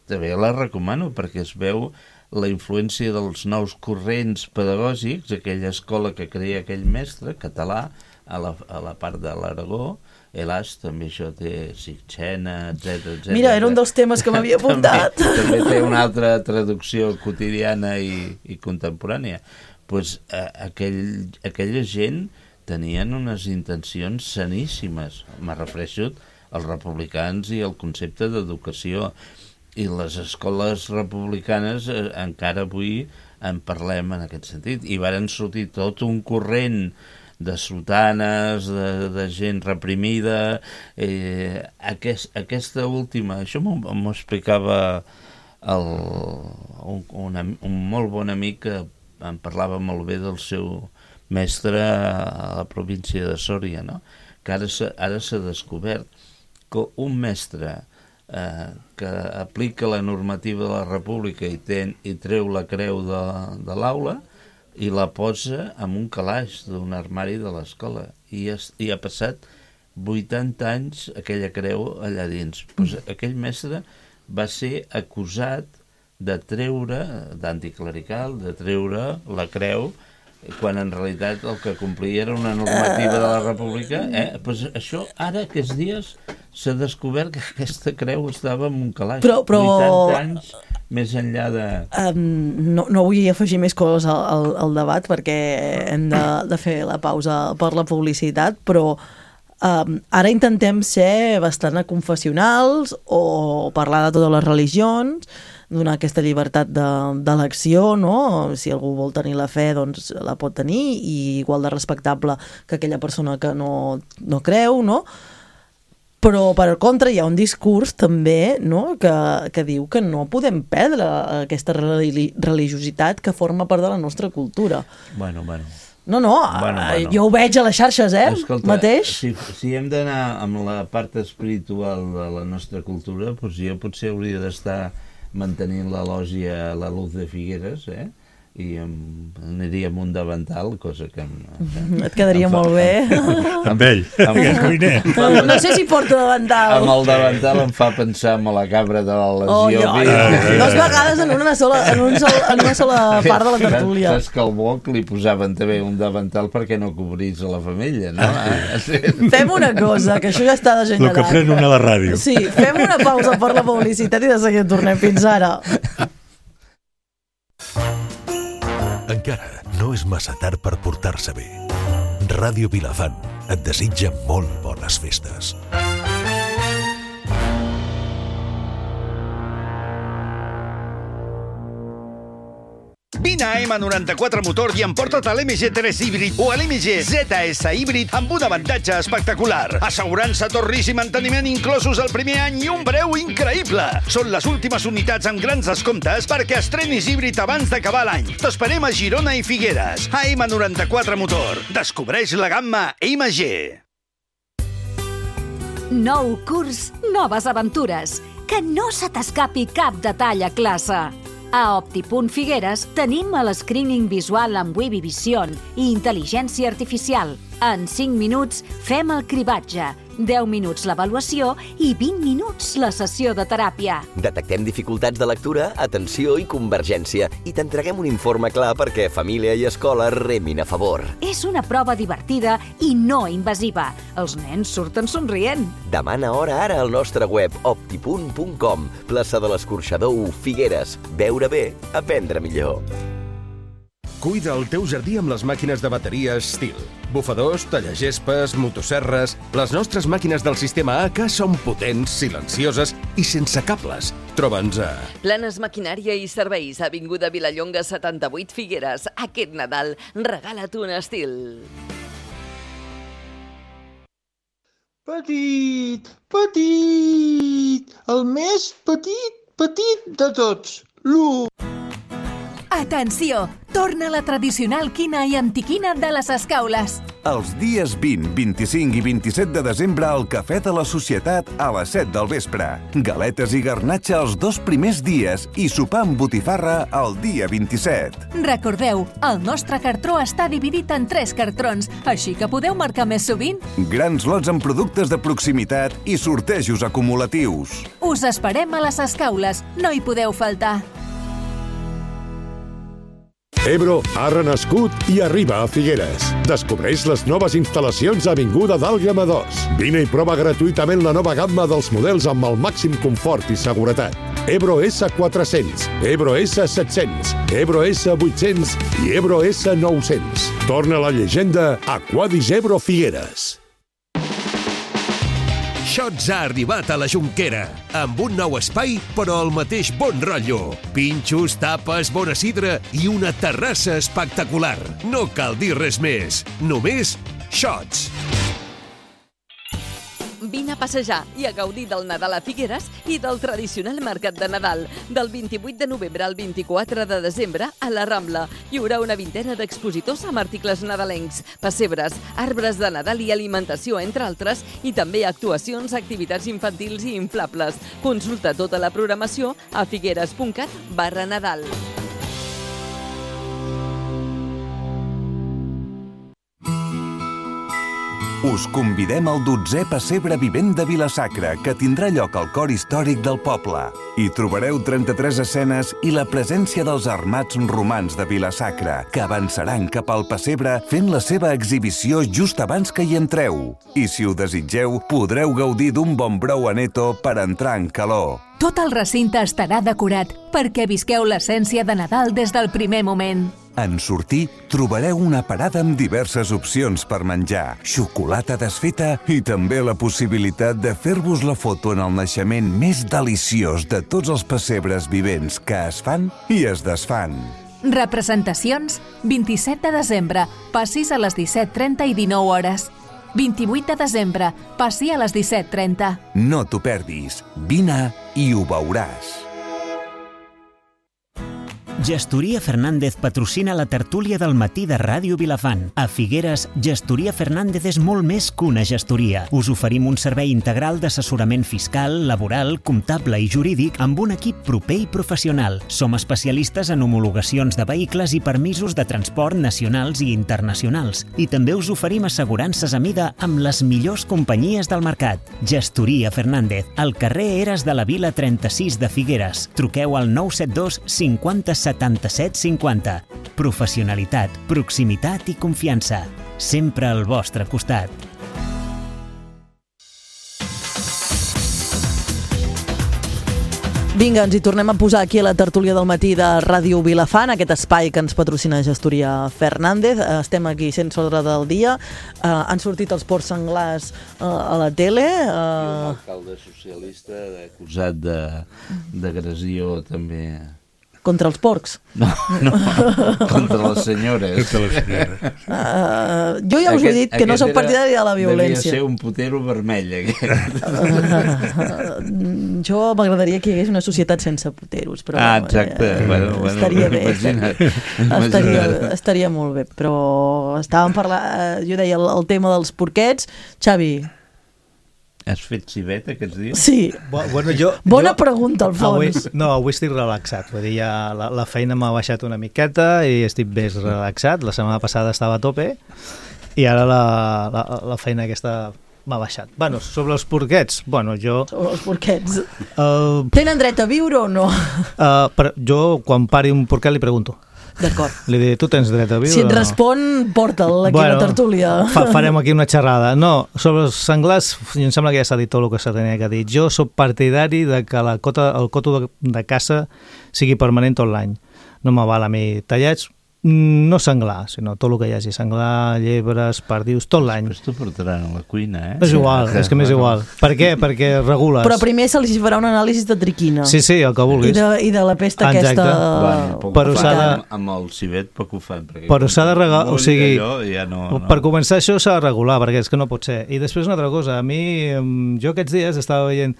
també la recomano, perquè es veu la influència dels nous corrents pedagògics, aquella escola que crea aquell mestre, català, a la, a la part de l'Aragó. Helaç, també això té Sitxena, etcètera, etcètera. Mira, era un dels temes que m'havia apuntat. també, també té una altra traducció quotidiana i, i contemporània. Pues, eh, aquell, aquella gent tenien unes intencions saníssimes. Me refereixo als republicans i al concepte d'educació. I les escoles republicanes eh, encara avui en parlem en aquest sentit. I varen sortir tot un corrent de sotanes, de, de gent reprimida. Eh, aquest, aquesta última, això m'ho explicava el, un, un, un molt bon amic que em parlava molt bé del seu mestre a la província de Sòria, no? Que ara s'ha, ara s'ha descobert que un mestre eh, que aplica la normativa de la República i, ten, i treu la creu de, de l'aula i la posa en un calaix d'un armari de l'escola. I, es, I ha passat vuitanta anys aquella creu allà dins. Pues aquell mestre va ser acusat de treure, d'anticlerical, de treure la creu, quan en realitat el que complia era una normativa de la República. Eh? Pues això, ara, aquests dies, s'ha descobert que aquesta creu estava en un calaix. Però, però... vuitanta anys més enllà de... Um, no, no vull afegir més coses al, al, al debat perquè hem de, de fer la pausa per la publicitat, però um, ara intentem ser bastant confessionals o parlar de totes les religions, donar aquesta llibertat d'elecció, no? Si algú vol tenir la fe, doncs la pot tenir, i igual de respectable que aquella persona que no, no creu, no? Però, per contra, hi ha un discurs també, no?, que, que diu que no podem perdre aquesta religiositat que forma part de la nostra cultura. Bueno, bueno. No, no, bueno, bueno. Jo ho veig a les xarxes, eh, Escolta, mateix. Si, si hem d'anar amb la part espiritual de la nostra cultura, doncs jo potser hauria d'estar mantenint la lògia La Luz de Figueres, eh? I em, aniria amb un davantal, cosa que... Em, Et quedaria molt bé. Amb ell, amb el cuiner. No sé si porta davantal. Amb el davantal em fa pensar en la cabra de la lesió. Oh, jo, dos vegades en una sola, en un sol, en una sola part de la tertúlia. Saps que al Boc li posaven també un davantal perquè no cobrís a la femella, no? Fem una cosa, que això ja està degenerat. El que pren una a la ràdio. Sí, fem una pausa per la publicitat i de seguida tornem. Fins ara. Encara no és massa tard per portar-se bé. Ràdio Vilafant et desitja molt bones festes. Vine a ema noranta-quatre Motor i emporta't a l'M G tres híbrid o a l'M G Z S híbrid amb un avantatge espectacular. Assegurança, torris i manteniment inclosos el primer any i un preu increïble. Són les últimes unitats amb grans descomptes perquè estrenis híbrid abans d'acabar l'any. T'esperem a Girona i Figueres. A ema noranta-quatre Motor. Descobreix la gamma M G. Nou curs, noves aventures. Que no se t'escapi cap detall a classe. A Optipunt Figueres tenim el screening visual amb Webby Vision i intel·ligència artificial. En cinc minuts fem el cribatge, deu minuts l'avaluació i vint minuts la sessió de teràpia. Detectem dificultats de lectura, atenció i convergència i t'entreguem un informe clar perquè família i escola remin a favor. És una prova divertida i no invasiva. Els nens surten somrient. Demana hora ara al nostre web optipunt punt com. Plaça de l'Escorxador u, Figueres. Veure bé, aprendre millor. Cuida el teu jardí amb les màquines de bateria Stihl. Bufadors, tallagespes, motosserres... Les nostres màquines del sistema A K són potents, silencioses i sense cables. Troba'ns a... Planes Maquinària i Serveis, avinguda Vilallonga setanta-vuit Figueres. Aquest Nadal regala't un estil. Petit, petit, el més petit, petit de tots, l'u. Atenció! Torna la tradicional quina i antiquina de les Escaules. Els dies vint, vint-i-cinc i vint-i-set de desembre al Cafè de la Societat a les set del vespre. Galetes i garnatxa els dos primers dies i sopar amb botifarra el dia vint-i-set. Recordeu, el nostre cartró està dividit en tres cartrons, així que podeu marcar més sovint. Grans lots amb productes de proximitat i sortejos acumulatius. Us esperem a les Escaules, no hi podeu faltar. Ebro ha renascut i arriba a Figueres. Descobreix les noves instal·lacions a Avinguda d'Àlguema dos. Vine i prova gratuïtament la nova gamma dels models amb el màxim confort i seguretat. Ebro esse quatre-cents, Ebro esse set-cents, Ebro esse vuit-cents i Ebro esse nou-cents. Torna la llegenda Aquadis Ebro Figueres. Shots ha arribat a la Jonquera, amb un nou espai, però el mateix bon rotllo. Pinxos, tapes, bona sidra i una terrassa espectacular. No cal dir res més, només Shots. Vine a passejar i a gaudir del Nadal a Figueres i del tradicional mercat de Nadal. Del vint-i-vuit de novembre al vint-i-quatre de desembre a la Rambla. Hi haurà una vintena d'expositors amb articles nadalencs, pessebres, arbres de Nadal i alimentació, entre altres, i també actuacions, activitats infantils i inflables. Consulta tota la programació a figueres.cat barra Nadal. Us convidem al dotzè Pessebre Vivent de Vila-sacra, que tindrà lloc al cor històric del poble. Hi trobareu trenta-tres escenes i la presència dels armats romans de Vila-sacra, que avançaran cap al pessebre fent la seva exhibició just abans que hi entreu. I si ho desitgeu, podreu gaudir d'un bon brou aneto per entrar en calor. Tot el recinte estarà decorat perquè visqueu l'essència de Nadal des del primer moment. En sortir, trobareu una parada amb diverses opcions per menjar, xocolata desfeta i també la possibilitat de fer-vos la foto en el naixement més deliciós de tots els pessebres vivents que es fan i es desfan. Representacions, vint-i-set de desembre, passis a les disset trenta i dinou hores. vint-i-vuit de desembre, passi a les disset trenta. No t'ho perdis, vine i ho veuràs. Gestoria Fernández patrocina la tertúlia del matí de Ràdio Vilafant. A Figueres, Gestoria Fernández és molt més que una gestoria. Us oferim un servei integral d'assessorament fiscal, laboral, comptable i jurídic amb un equip proper i professional. Som especialistes en homologacions de vehicles i permisos de transport nacionals i internacionals. I també us oferim assegurances a mida amb les millors companyies del mercat. Gestoria Fernández, al carrer Eres de la Vila trenta-sis de Figueres. Truqueu al nou set dos cinquanta setanta-set cinquanta. Professionalitat, proximitat i confiança. Sempre al vostre costat. Vinga, ens hi tornem a posar aquí a la tertúlia del matí de Ràdio Vilafant, aquest espai que ens patrocina Gestoria Fernández. Estem aquí sense ordre del dia. Uh, han sortit els porcs senglars uh, a la tele. Uh... L'alcalde socialista acusat d'agressió també... Contra els porcs? No, no, contra les senyores. Contra les senyores. Uh, jo ja us he dit que no soc partidari de la violència. Devia ser un putero vermell, aquest. Uh, jo m'agradaria que hi hagués una societat sense puteros. Però, ah, exacte. Eh, bueno, bueno, estaria bé. Imagina't, estaria, estaria molt bé. Però estàvem parlant, jo deia, el, el tema dels porquets. Xavi... Has fet civet aquests dies? Sí. Bueno, jo, Bona jo, pregunta, al fons. Avui, no, avui estic relaxat. Vull dir, ja la, la feina m'ha baixat una miqueta i estic més relaxat. La setmana passada estava a tope i ara la, la, la feina aquesta m'ha baixat. Bueno, sobre els porquets, bueno, jo... Sobre els porquets. Uh, Tenen dret a viure o no? Uh, per, jo, quan pari un porquet, li pregunto. D'acord. Li diré, tu tens dret a viure si et o no? respon, porta'l aquí bueno, a la tertúlia. Fa, farem aquí una xerrada. No, sobre els senglars, em sembla que ja s'ha dit tot el que s'ha tenia que dir. Jo soc partidari de que la cota, el coto de, de caça sigui permanent tot l'any. No me val a mi tallats, No senglar, sinó tot el que hi hagi, senglar, llebres, perdius, tot l'any. Després t'ho portaran a la cuina, eh? És igual, és que m'és igual. Per què? Perquè regules. Però primer se li farà un anàlisi de triquina. Sí, sí, el que vulguis. I de, i de la pesta Exacte. aquesta... Bueno, però s'ha de... Amb el civet poc ho fan. Però s'ha de regular, o sigui, ja no, no. per començar això s'ha de regular, perquè és que no pot ser. I després una altra cosa, a mi, jo aquests dies estava veient,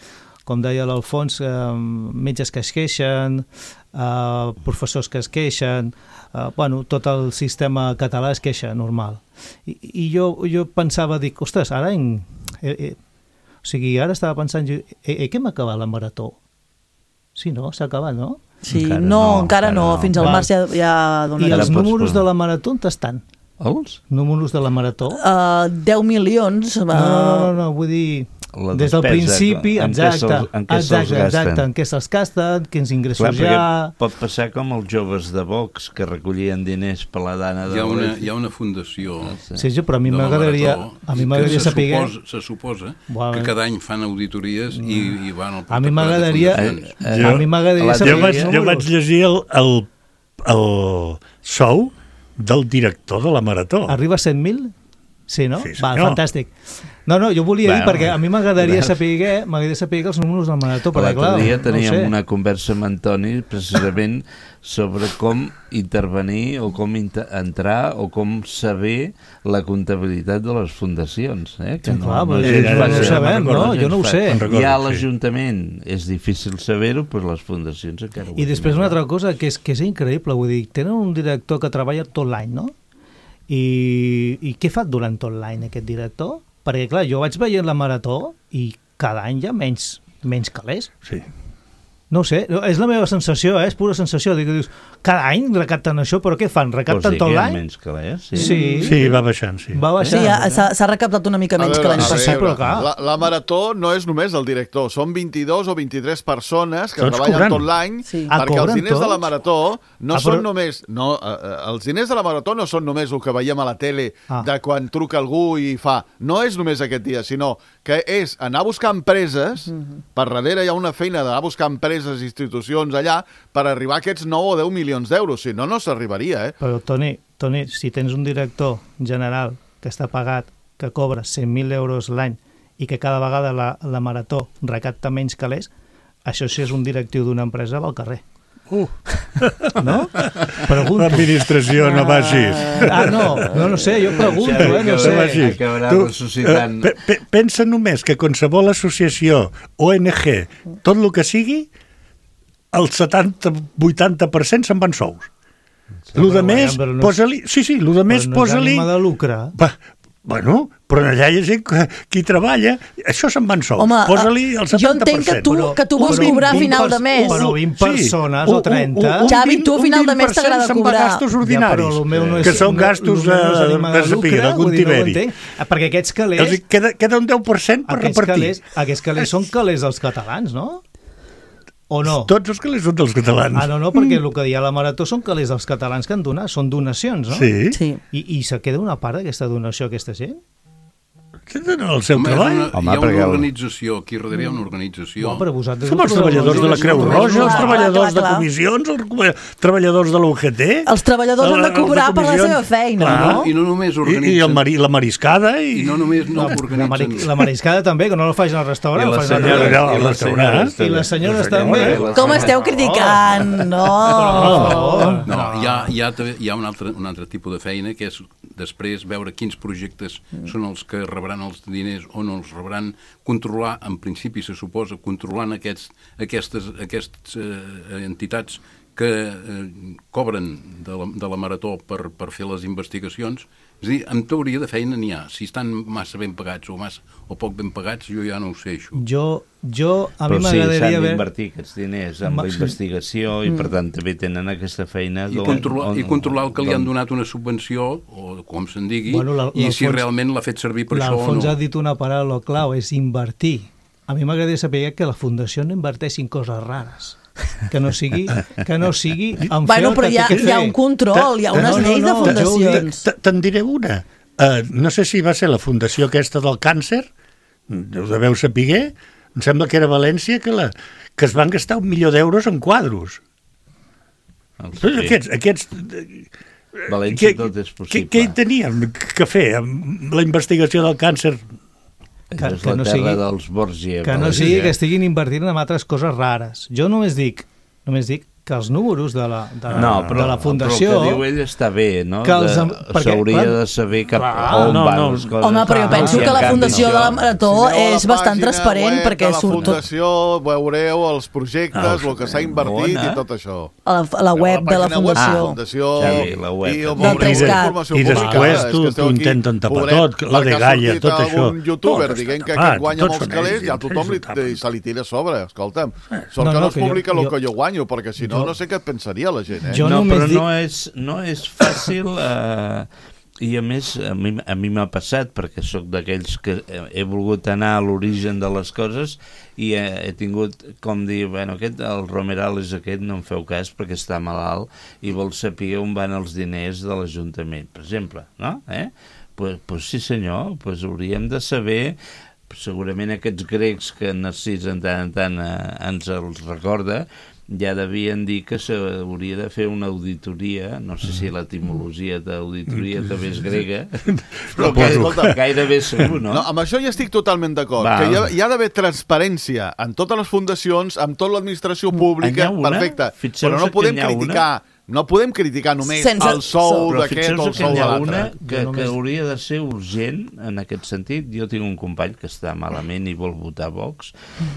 com deia l'Alfons, eh, metges que es queixen, eh, professors que es queixen, Uh, bueno, tot el sistema català es queixa, normal. I, i jo, jo pensava, dic, ostres, ara en... Eh, eh, o sigui, ara estava pensant, eh, eh, que hem acabat la marató? Sí, no? S'ha acabat, no? Sí, encara no, no, encara no, no. Fins al març ja, ja donarà. I els números de la marató on estan? Els? Números de la marató? Uh, deu milions. Uh... No, no, no, no, vull dir... La des del principi, en exacte, què en què exacte, exacte, en què se'ls gasten, quins ingressos Clar, hi ha... Pot passar com els joves de Vox, que recollien diners per la dana de hi ha una, hi ha una fundació... Sí, sí, però a mi m'agradaria a mi m'agradaria saber... Suposa, se suposa bueno. que cada any fan auditories i, i van al... A mi m'agradaria... A mi m'agradaria saber... Jo vaig, jo vaig llegir el, el, el sou del director de la Marató. Arriba a cent mil? Sí, no? Sí, Va, fantàstic. No, no, jo volia bueno, dir, perquè a mi m'agradaria saber, m'agradaria saber els números del Marató, perquè clar, l'altre dia teníem no una conversa amb Antoni precisament sobre com intervenir o com inter entrar o com saber la comptabilitat de les fundacions. Eh? Que sí, no, clar, no, no, no, no, no ho sabem, no? Jo no ho sé. Hi ha l'Ajuntament, és difícil saber-ho, però les fundacions encara ho I després una altra cosa que és, que és increïble, vull dir, tenen un director que treballa tot l'any, no? I, I què fa durant tot l'any aquest director? Perquè, clar, jo vaig veient la Marató i cada any hi ha menys, menys calés. Sí. No ho sé, és la meva sensació, eh? És pura sensació. Dius, cada any recapten això, però què fan? Recapten tot l'any? Menys calés, sí. Sí. Sí, va baixant, sí. Va baixant. Sí, s'ha recaptat una mica menys veure, que l'any passat. La, la Marató no és només el director, són vint-i-dos o vint-i-tres persones que Tots treballen cobrant. tot l'any, sí. perquè ah, els diners tots? de la Marató no ah, són però... només... No, eh, els diners de la Marató no són només el que veiem a la tele ah. de quan truca algú i fa... No és només aquest dia, sinó que és anar a buscar empreses, mm-hmm. per darrere hi ha una feina d'anar a buscar empreses, institucions allà, per arribar a aquests nou o deu milions d'euros. Si no, no s'arribaria, eh? Però, Toni, Toni, si tens un director general que està pagat, que cobra cent mil euros l'any i que cada vegada la, la Marató recapta menys calés, això sí és un directiu d'una empresa va al carrer. Uh. No? Pregunto. L'administració no va així. Ah, no, no, no sé, jo pregunto, eh, no sé. Acabarà ressuscitant... Pe, pe, pensa només que qualsevol associació, O N G, tot el que sigui, el setanta vuitanta per cent se'n van sous. Sí, lo de més, no posa-li... Sí, sí, lo de més, posa-li... Però no és ànima de lucre. Va, bueno, però allà hi ha gent que, qui treballa, això se'n van sous. Home, posa-li el setanta per cent. Jo entenc que tu, que tu vols cobrar a final de mes. Però vint persones o trenta... Xavi, tu a final de mes t'agrada cobrar. Gastos ordinaris, ja, no és, que són gastos de, de, de sapiga, d'algun tiberi. No perquè aquests calés... Queda, queda un deu per cent per repartir. Calés, aquests calés són calés dels catalans, no? O no? Tots els calés són dels catalans. Ah, no, no, perquè el que hi ha a la Marató són calés dels catalans que han donat, són donacions, no? Sí. sí. I, i se queda una part d'aquesta donació a aquesta gent? El seu Home, treball. Una, Home, hi ha una organització, aquí darrere hi ha una organització. No, però vosaltres... Som els treballadors de la Creu Roja, els treballadors de comissions, els treballadors de l'U G T. Els treballadors han de cobrar per la seva feina, no? I no només organitzen... I, i el mari, la mariscada. I, I no només no organitzen... La, mari, la mariscada també, que no la facin al restaurant. I les senyores, al i les senyores, I les senyores també. Com esteu criticant? No. No, hi ha, hi ha, hi ha un, altre, un altre tipus de feina, que és després veure quins projectes són els que rebran els diners o no els rebran, controlar, en principi se suposa, controlant aquests, aquestes, aquestes eh, entitats que eh, cobren de la, de la Marató per, per fer les investigacions. És a dir, en teoria de feina n'hi ha. Si estan massa ben pagats o, massa, o poc ben pagats, jo ja no ho sé, això. Jo, jo a Però mi m'agradaria... Però sí, s'han haver... d'invertir aquests diners en la investigació i, per tant, també tenen aquesta feina... I, controlar, on, I controlar el que li han donat una subvenció, o com se'n digui, bueno, la, i si realment l'ha fet servir per això o no. L'Alfons ha dit una paraula clau, és invertir. A mi m'agradaria saber que la Fundació no inverteixi en coses rares. Que no sigui, que no sigui en bueno, però hi ha, hi ha un control, hi ha unes no, lleis no, no, de fundacions. Te'n diré una. Uh, no sé si va ser la fundació aquesta del càncer, ho deveu saber, em sembla que era València, que, la, que es van gastar un milió d'euros en quadros. Sí. Aquests, aquests València tot és possible. Què hi teníem que fer amb la investigació del càncer? Que, és la no terra sigui, dels Borgia. Que no sigui que estiguin invertint en altres coses rares. Jo només dic, només dic que els números de la, de, no, però, de la fundació... Però el que diu ell està bé, no? S'hauria de saber cap clar, on no, van no. les coses. Home, però jo penso ah, que la fundació de la Marató si és bastant transparent perquè surt tot... A la fundació veureu els projectes, ah, el que s'ha invertit i tot això. A la, a la web de la fundació. Ah, fundació Xavi, la web. I, del tres cat. I després t'ho intenten tapar tot, la de Gaia, tot això. Un youtuber dient que aquest guanya molts calés i a tothom se li tira a sobre, escolta'm. Sort que no es publica el que jo guanyo, perquè si no, no sé què pensaria la gent, eh? No, però no és, no és fàcil eh, i a més a mi, a mi m'ha passat perquè sóc d'aquells que he volgut anar a l'origen de les coses i he, he tingut com dir, bueno, aquest, el Romeral és aquest, no en feu cas perquè està malalt i vol saber on van els diners de l'Ajuntament, per exemple, no? Eh? Pues, pues sí senyor, pues hauríem de saber, segurament aquests grecs que Narcís en tant en tant eh, ens els recorda, ja devien dir que s'hauria de fer una auditoria, no sé si l'etimologia d'auditoria també és grega, però que, escolta, gairebé segur, no? No, amb això ja estic totalment d'acord, que hi ha, hi ha d'haver transparència en totes les fundacions, amb tota l'administració pública, perfecte, però no podem criticar... No podem criticar només sense el sou d'aquest o el sou de l'altre. Que, que hauria de ser urgent en aquest sentit. Jo tinc un company que està malament i vol votar Vox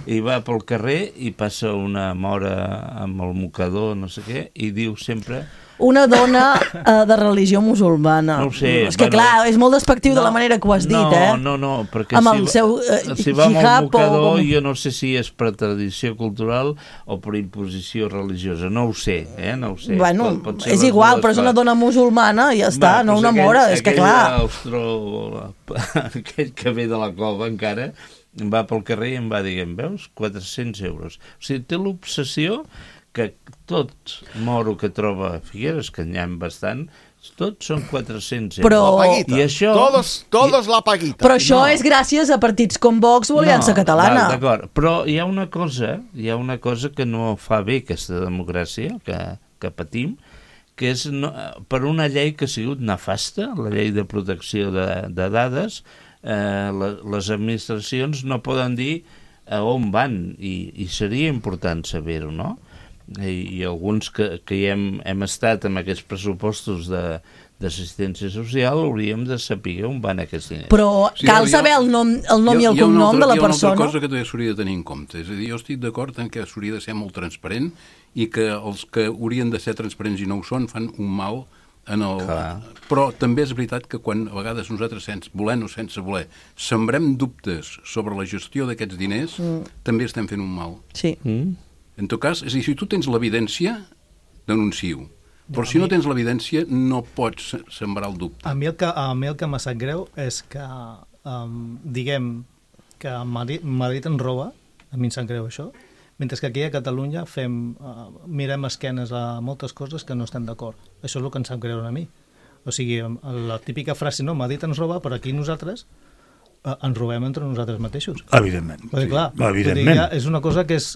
i va pel carrer i passa una mora amb el mocador, no sé què, i diu sempre... Una dona uh, de religió musulmana. No ho sé. És que, bueno, clar, és molt despectiu no, de la manera que ho has dit, no, eh? No, no, no, perquè amb si, el seu, uh, si va amb el mocador, o... jo no sé si és per tradició cultural o per imposició religiosa. No ho sé, eh? No ho sé. Bueno, pot, pot és igual, però és una dona musulmana i ja està, va, no una aquell, mora, és que clar... Austro, aquell que ve de la cova encara, va pel carrer i em va dir, veus, quatre-cents euros. O sigui, té l'obsessió que tot moro que troba a Figueres, que n'hi ha bastant, tots són quatre-cents euros. Però... La paguita. I això... Todos, todos la paguita. Però això no. És gràcies a partits com Vox o Aliança no, Catalana. D'acord, però hi ha una cosa, hi ha una cosa que no fa bé aquesta democràcia que, que patim, que és no, per una llei que ha sigut nefasta, la llei de protecció de, de dades, eh, la, les administracions no poden dir a on van, i, i seria important saber-ho, no? I, i alguns que, que hi hem, hem estat amb aquests pressupostos de, d'assistència social hauríem de saber on van aquests diners. Però sí, cal saber el nom, el nom i el cognom de la persona. Hi ha una altra cosa que també s'hauria de tenir en compte. És a dir, jo estic d'acord en que s'hauria de ser molt transparent i que els que haurien de ser transparents i no ho són fan un mal en el... Clar. Però també és veritat que quan a vegades nosaltres, sense volent o sense voler, sembrem dubtes sobre la gestió d'aquests diners, mm. també estem fent un mal. Sí. Mm. En tot cas, és a dir, si tu tens l'evidència, denuncio. Però si no tens l'evidència, no pots sembrar el dubte. A mi el que, a mi el que m'ha sap greu és que, um, diguem, que Madrid, Madrid en roba, a mi em sap greu això, mentre que aquí a Catalunya fem, uh, mirem esquenes a moltes coses que no estem d'acord. Això és el que em sap greu a mi. O sigui, la típica frase, no, Madrid ens roba, però aquí nosaltres uh, ens robem entre nosaltres mateixos. Evidentment. Perquè, clar, sí. Evidentment. Ja és una cosa que és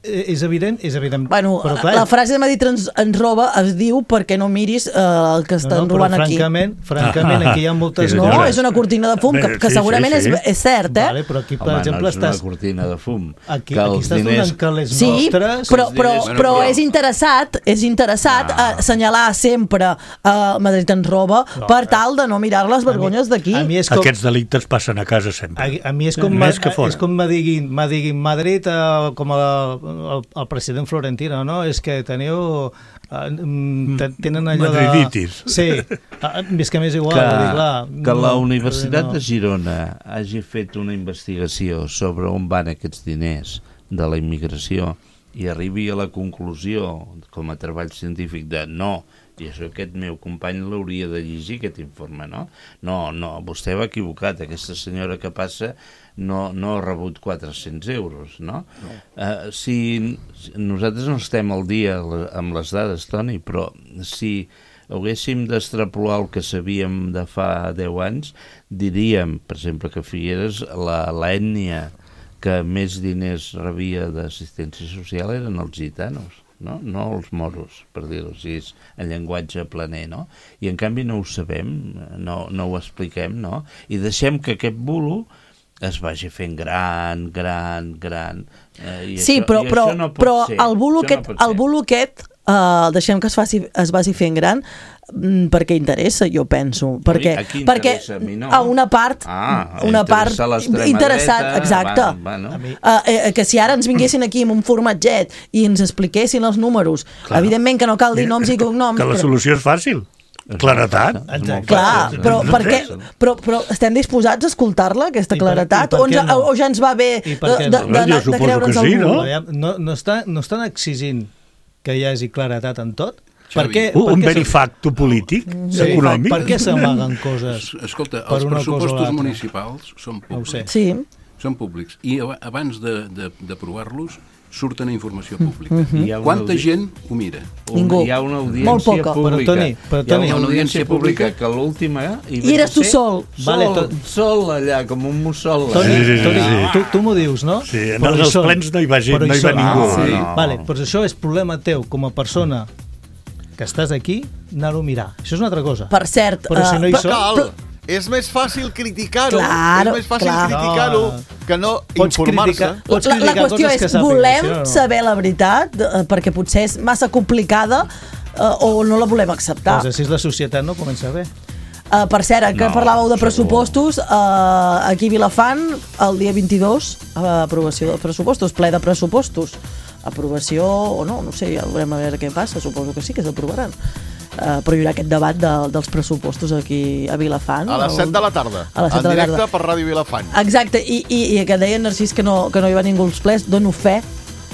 és evident, és evident. Bueno, però clar, la frase de Madrid ens, ens roba es diu perquè no miris eh, el que estan no, no, robant aquí. Francament, francament, aquí hi ha moltes... No, és una cortina de fum, que, que segurament sí, sí, sí. És, és cert, eh? Vale, però aquí, per Home, exemple, no és estàs... una cortina de fum. Aquí, que aquí estàs diners... donant que les sí, nostres... però, però, diners... però, però és interessat, és interessat ah. assenyalar sempre a Madrid ens roba no, per tal de no mirar les vergonyes d'aquí. Com... Aquests delictes passen a casa sempre. A, a mi és com, ma, és com me diguin, me diguin Madrid uh, com a, el, el president Florentino, no? És que teniu... Uh, tenen allò de... Madriditis. Sí, uh, és que m'és igual. Que, dir, clar, que no, la Universitat no. de Girona hagi fet una investigació sobre on van aquests diners de la immigració i arribi a la conclusió, com a treball científic, de no, i això aquest meu company l'hauria de llegir, aquest informe, no? No, no, vostè va equivocat, aquesta senyora que passa no, no ha rebut quatre-cents euros, no? no. Uh, si, si nosaltres no estem al dia amb les dades, Toni, però si haguéssim d'extrapolar el que sabíem de fa deu anys, diríem, per exemple, que Figueres, l'ètnia que més diners rebia d'assistència social eren els gitanos. no? No els moros, per dir-ho així, en llenguatge planer, no? I en canvi no ho sabem, no, no ho expliquem, no? I deixem que aquest bulo es vagi fent gran, gran, gran. Eh, i sí, això, però, i però, això no pot però ser. el bulo Això aquest, no pot el ser. bulo aquest uh, deixem que es, faci, es vagi fent gran mm, perquè interessa, jo penso. Perquè, a qui perquè interessa? A mi no. a una part, Ah, una part interessa l'extrema interessant, dreta, exacte. va, va, no? Uh, eh, que si ara ens vinguessin aquí amb un formatget i ens expliquessin els números, Clar. evidentment que no cal dir noms i cognoms. Que la però... solució és fàcil. Claretat. Clar, però, perquè, però, però estem disposats a escoltar-la, aquesta claretat? O, ens, no? o ja ens va bé de, de, de, de, de creure'ns el no? No, no, està, no estan exigint que hi hagi claretat en tot? Per què, un per un què verifacto polític, sí, econòmic. Per què s'amaguen coses? Escolta, per els una cosa o pressupostos l'altra? municipals són públics. Sí. Són públics. I abans d'aprovar-los surten a informació pública. Mhm. Hi ha una Quanta audi- gent ho mira? Ningú. Hi ha una Molt audiència poca. pública. Però, Toni, però, Toni, hi ha una audiència pública que l'última... I eres tu sol. Sol, Vale, to- sol allà, com un mussol. Toni, Sí, sí, sí, Toni, sí. tu, tu m'ho dius, no? Sí, en Però hi els són. plens no hi va gent, Però no hi va són. ningú. Ah, sí. No. Vale, doncs això és problema teu com a persona que estàs aquí, anar-ho a mirar. Això és una altra cosa. Per cert... Però si no hi uh, són... Cal. És més fàcil criticar-ho, Claro, és més fàcil clar. criticar-ho que no Pots informar-se. criticar- pots La, la criticar qüestió coses és, que sàpigues, volem sí o no? saber la veritat, eh, perquè potser és massa complicada eh, o no la volem acceptar. Doncs així la societat no comença bé. Uh, per cert, que No, parlàveu de segur. pressupostos, uh, aquí a Vilafant, el dia vint-i-dos, uh, aprovació de pressupostos, ple de pressupostos. Aprovació o no, no sé, ja veurem a veure què passa, suposo que sí que s'aprovaran. Uh, però hi haurà aquest debat de, dels pressupostos aquí a Vilafant. A les el- set de la tarda, A les set en de la directe tarda. per Ràdio Vilafant. Exacte, i, i, i que deia Narcís que no, que no hi va ningú als plens, dono fe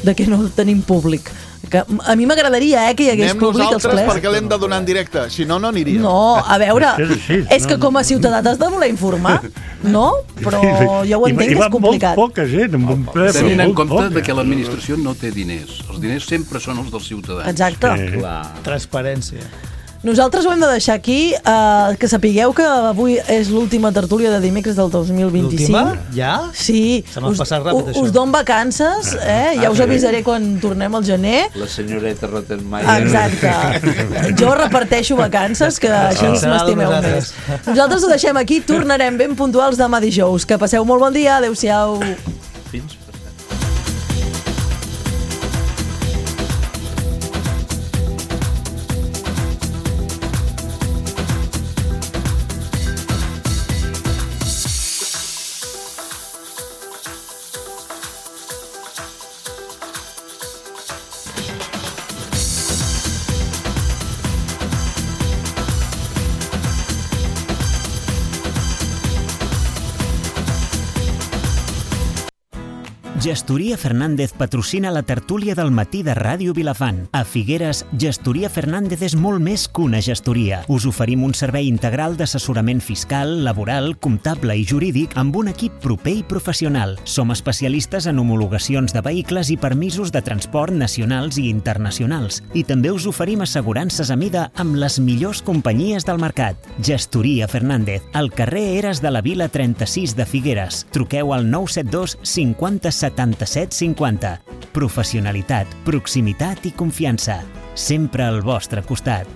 de que no tenim públic. Que a mi m'agradaria eh, que hi hagués Anem públic als nosaltres plens. perquè l'hem de donar en directe, si no, no aniria. No, a veure, És així, és que no, com a ciutadà t'has de voler informar, no? Però jo ho I- entenc i que va és complicat. molt poca gent, amb un ple, però Tenint en molt compte poca. de que l'administració no té diners. Els diners sempre són els dels ciutadans. Exacte. Sí. Transparència. Nosaltres ho hem de deixar aquí, eh, que sapigueu que avui és l'última tertúlia de dimecres del dos mil vint-i-cinc. L'última? Ja? Sí. Se m'ha Us- passat ràpid, u- això. Us don vacances, eh? Ja Ah, us sí. avisaré quan tornem al gener. La senyoreta Rottenmeier. Exacte. Jo reparteixo vacances, que així ens Serà m'estimeu nosaltres. més. Nosaltres ho deixem aquí, tornarem ben puntuals demà dijous. Que passeu molt bon dia, adeu-siau. Fins Gestoria Fernández patrocina la tertúlia del matí de Ràdio Vilafant. A Figueres, Gestoria Fernández és molt més que una gestoria. Us oferim un servei integral d'assessorament fiscal, laboral, comptable i jurídic amb un equip proper i professional. Som especialistes en homologacions de vehicles i permisos de transport nacionals i internacionals. I també us oferim assegurances a mida amb les millors companyies del mercat. Gestoria Fernández, al carrer Eres de la Vila trenta-sis de Figueres. Truqueu al nou set dos cinquanta setanta-set cinquanta. Professionalitat, proximitat i confiança. Sempre al vostre costat.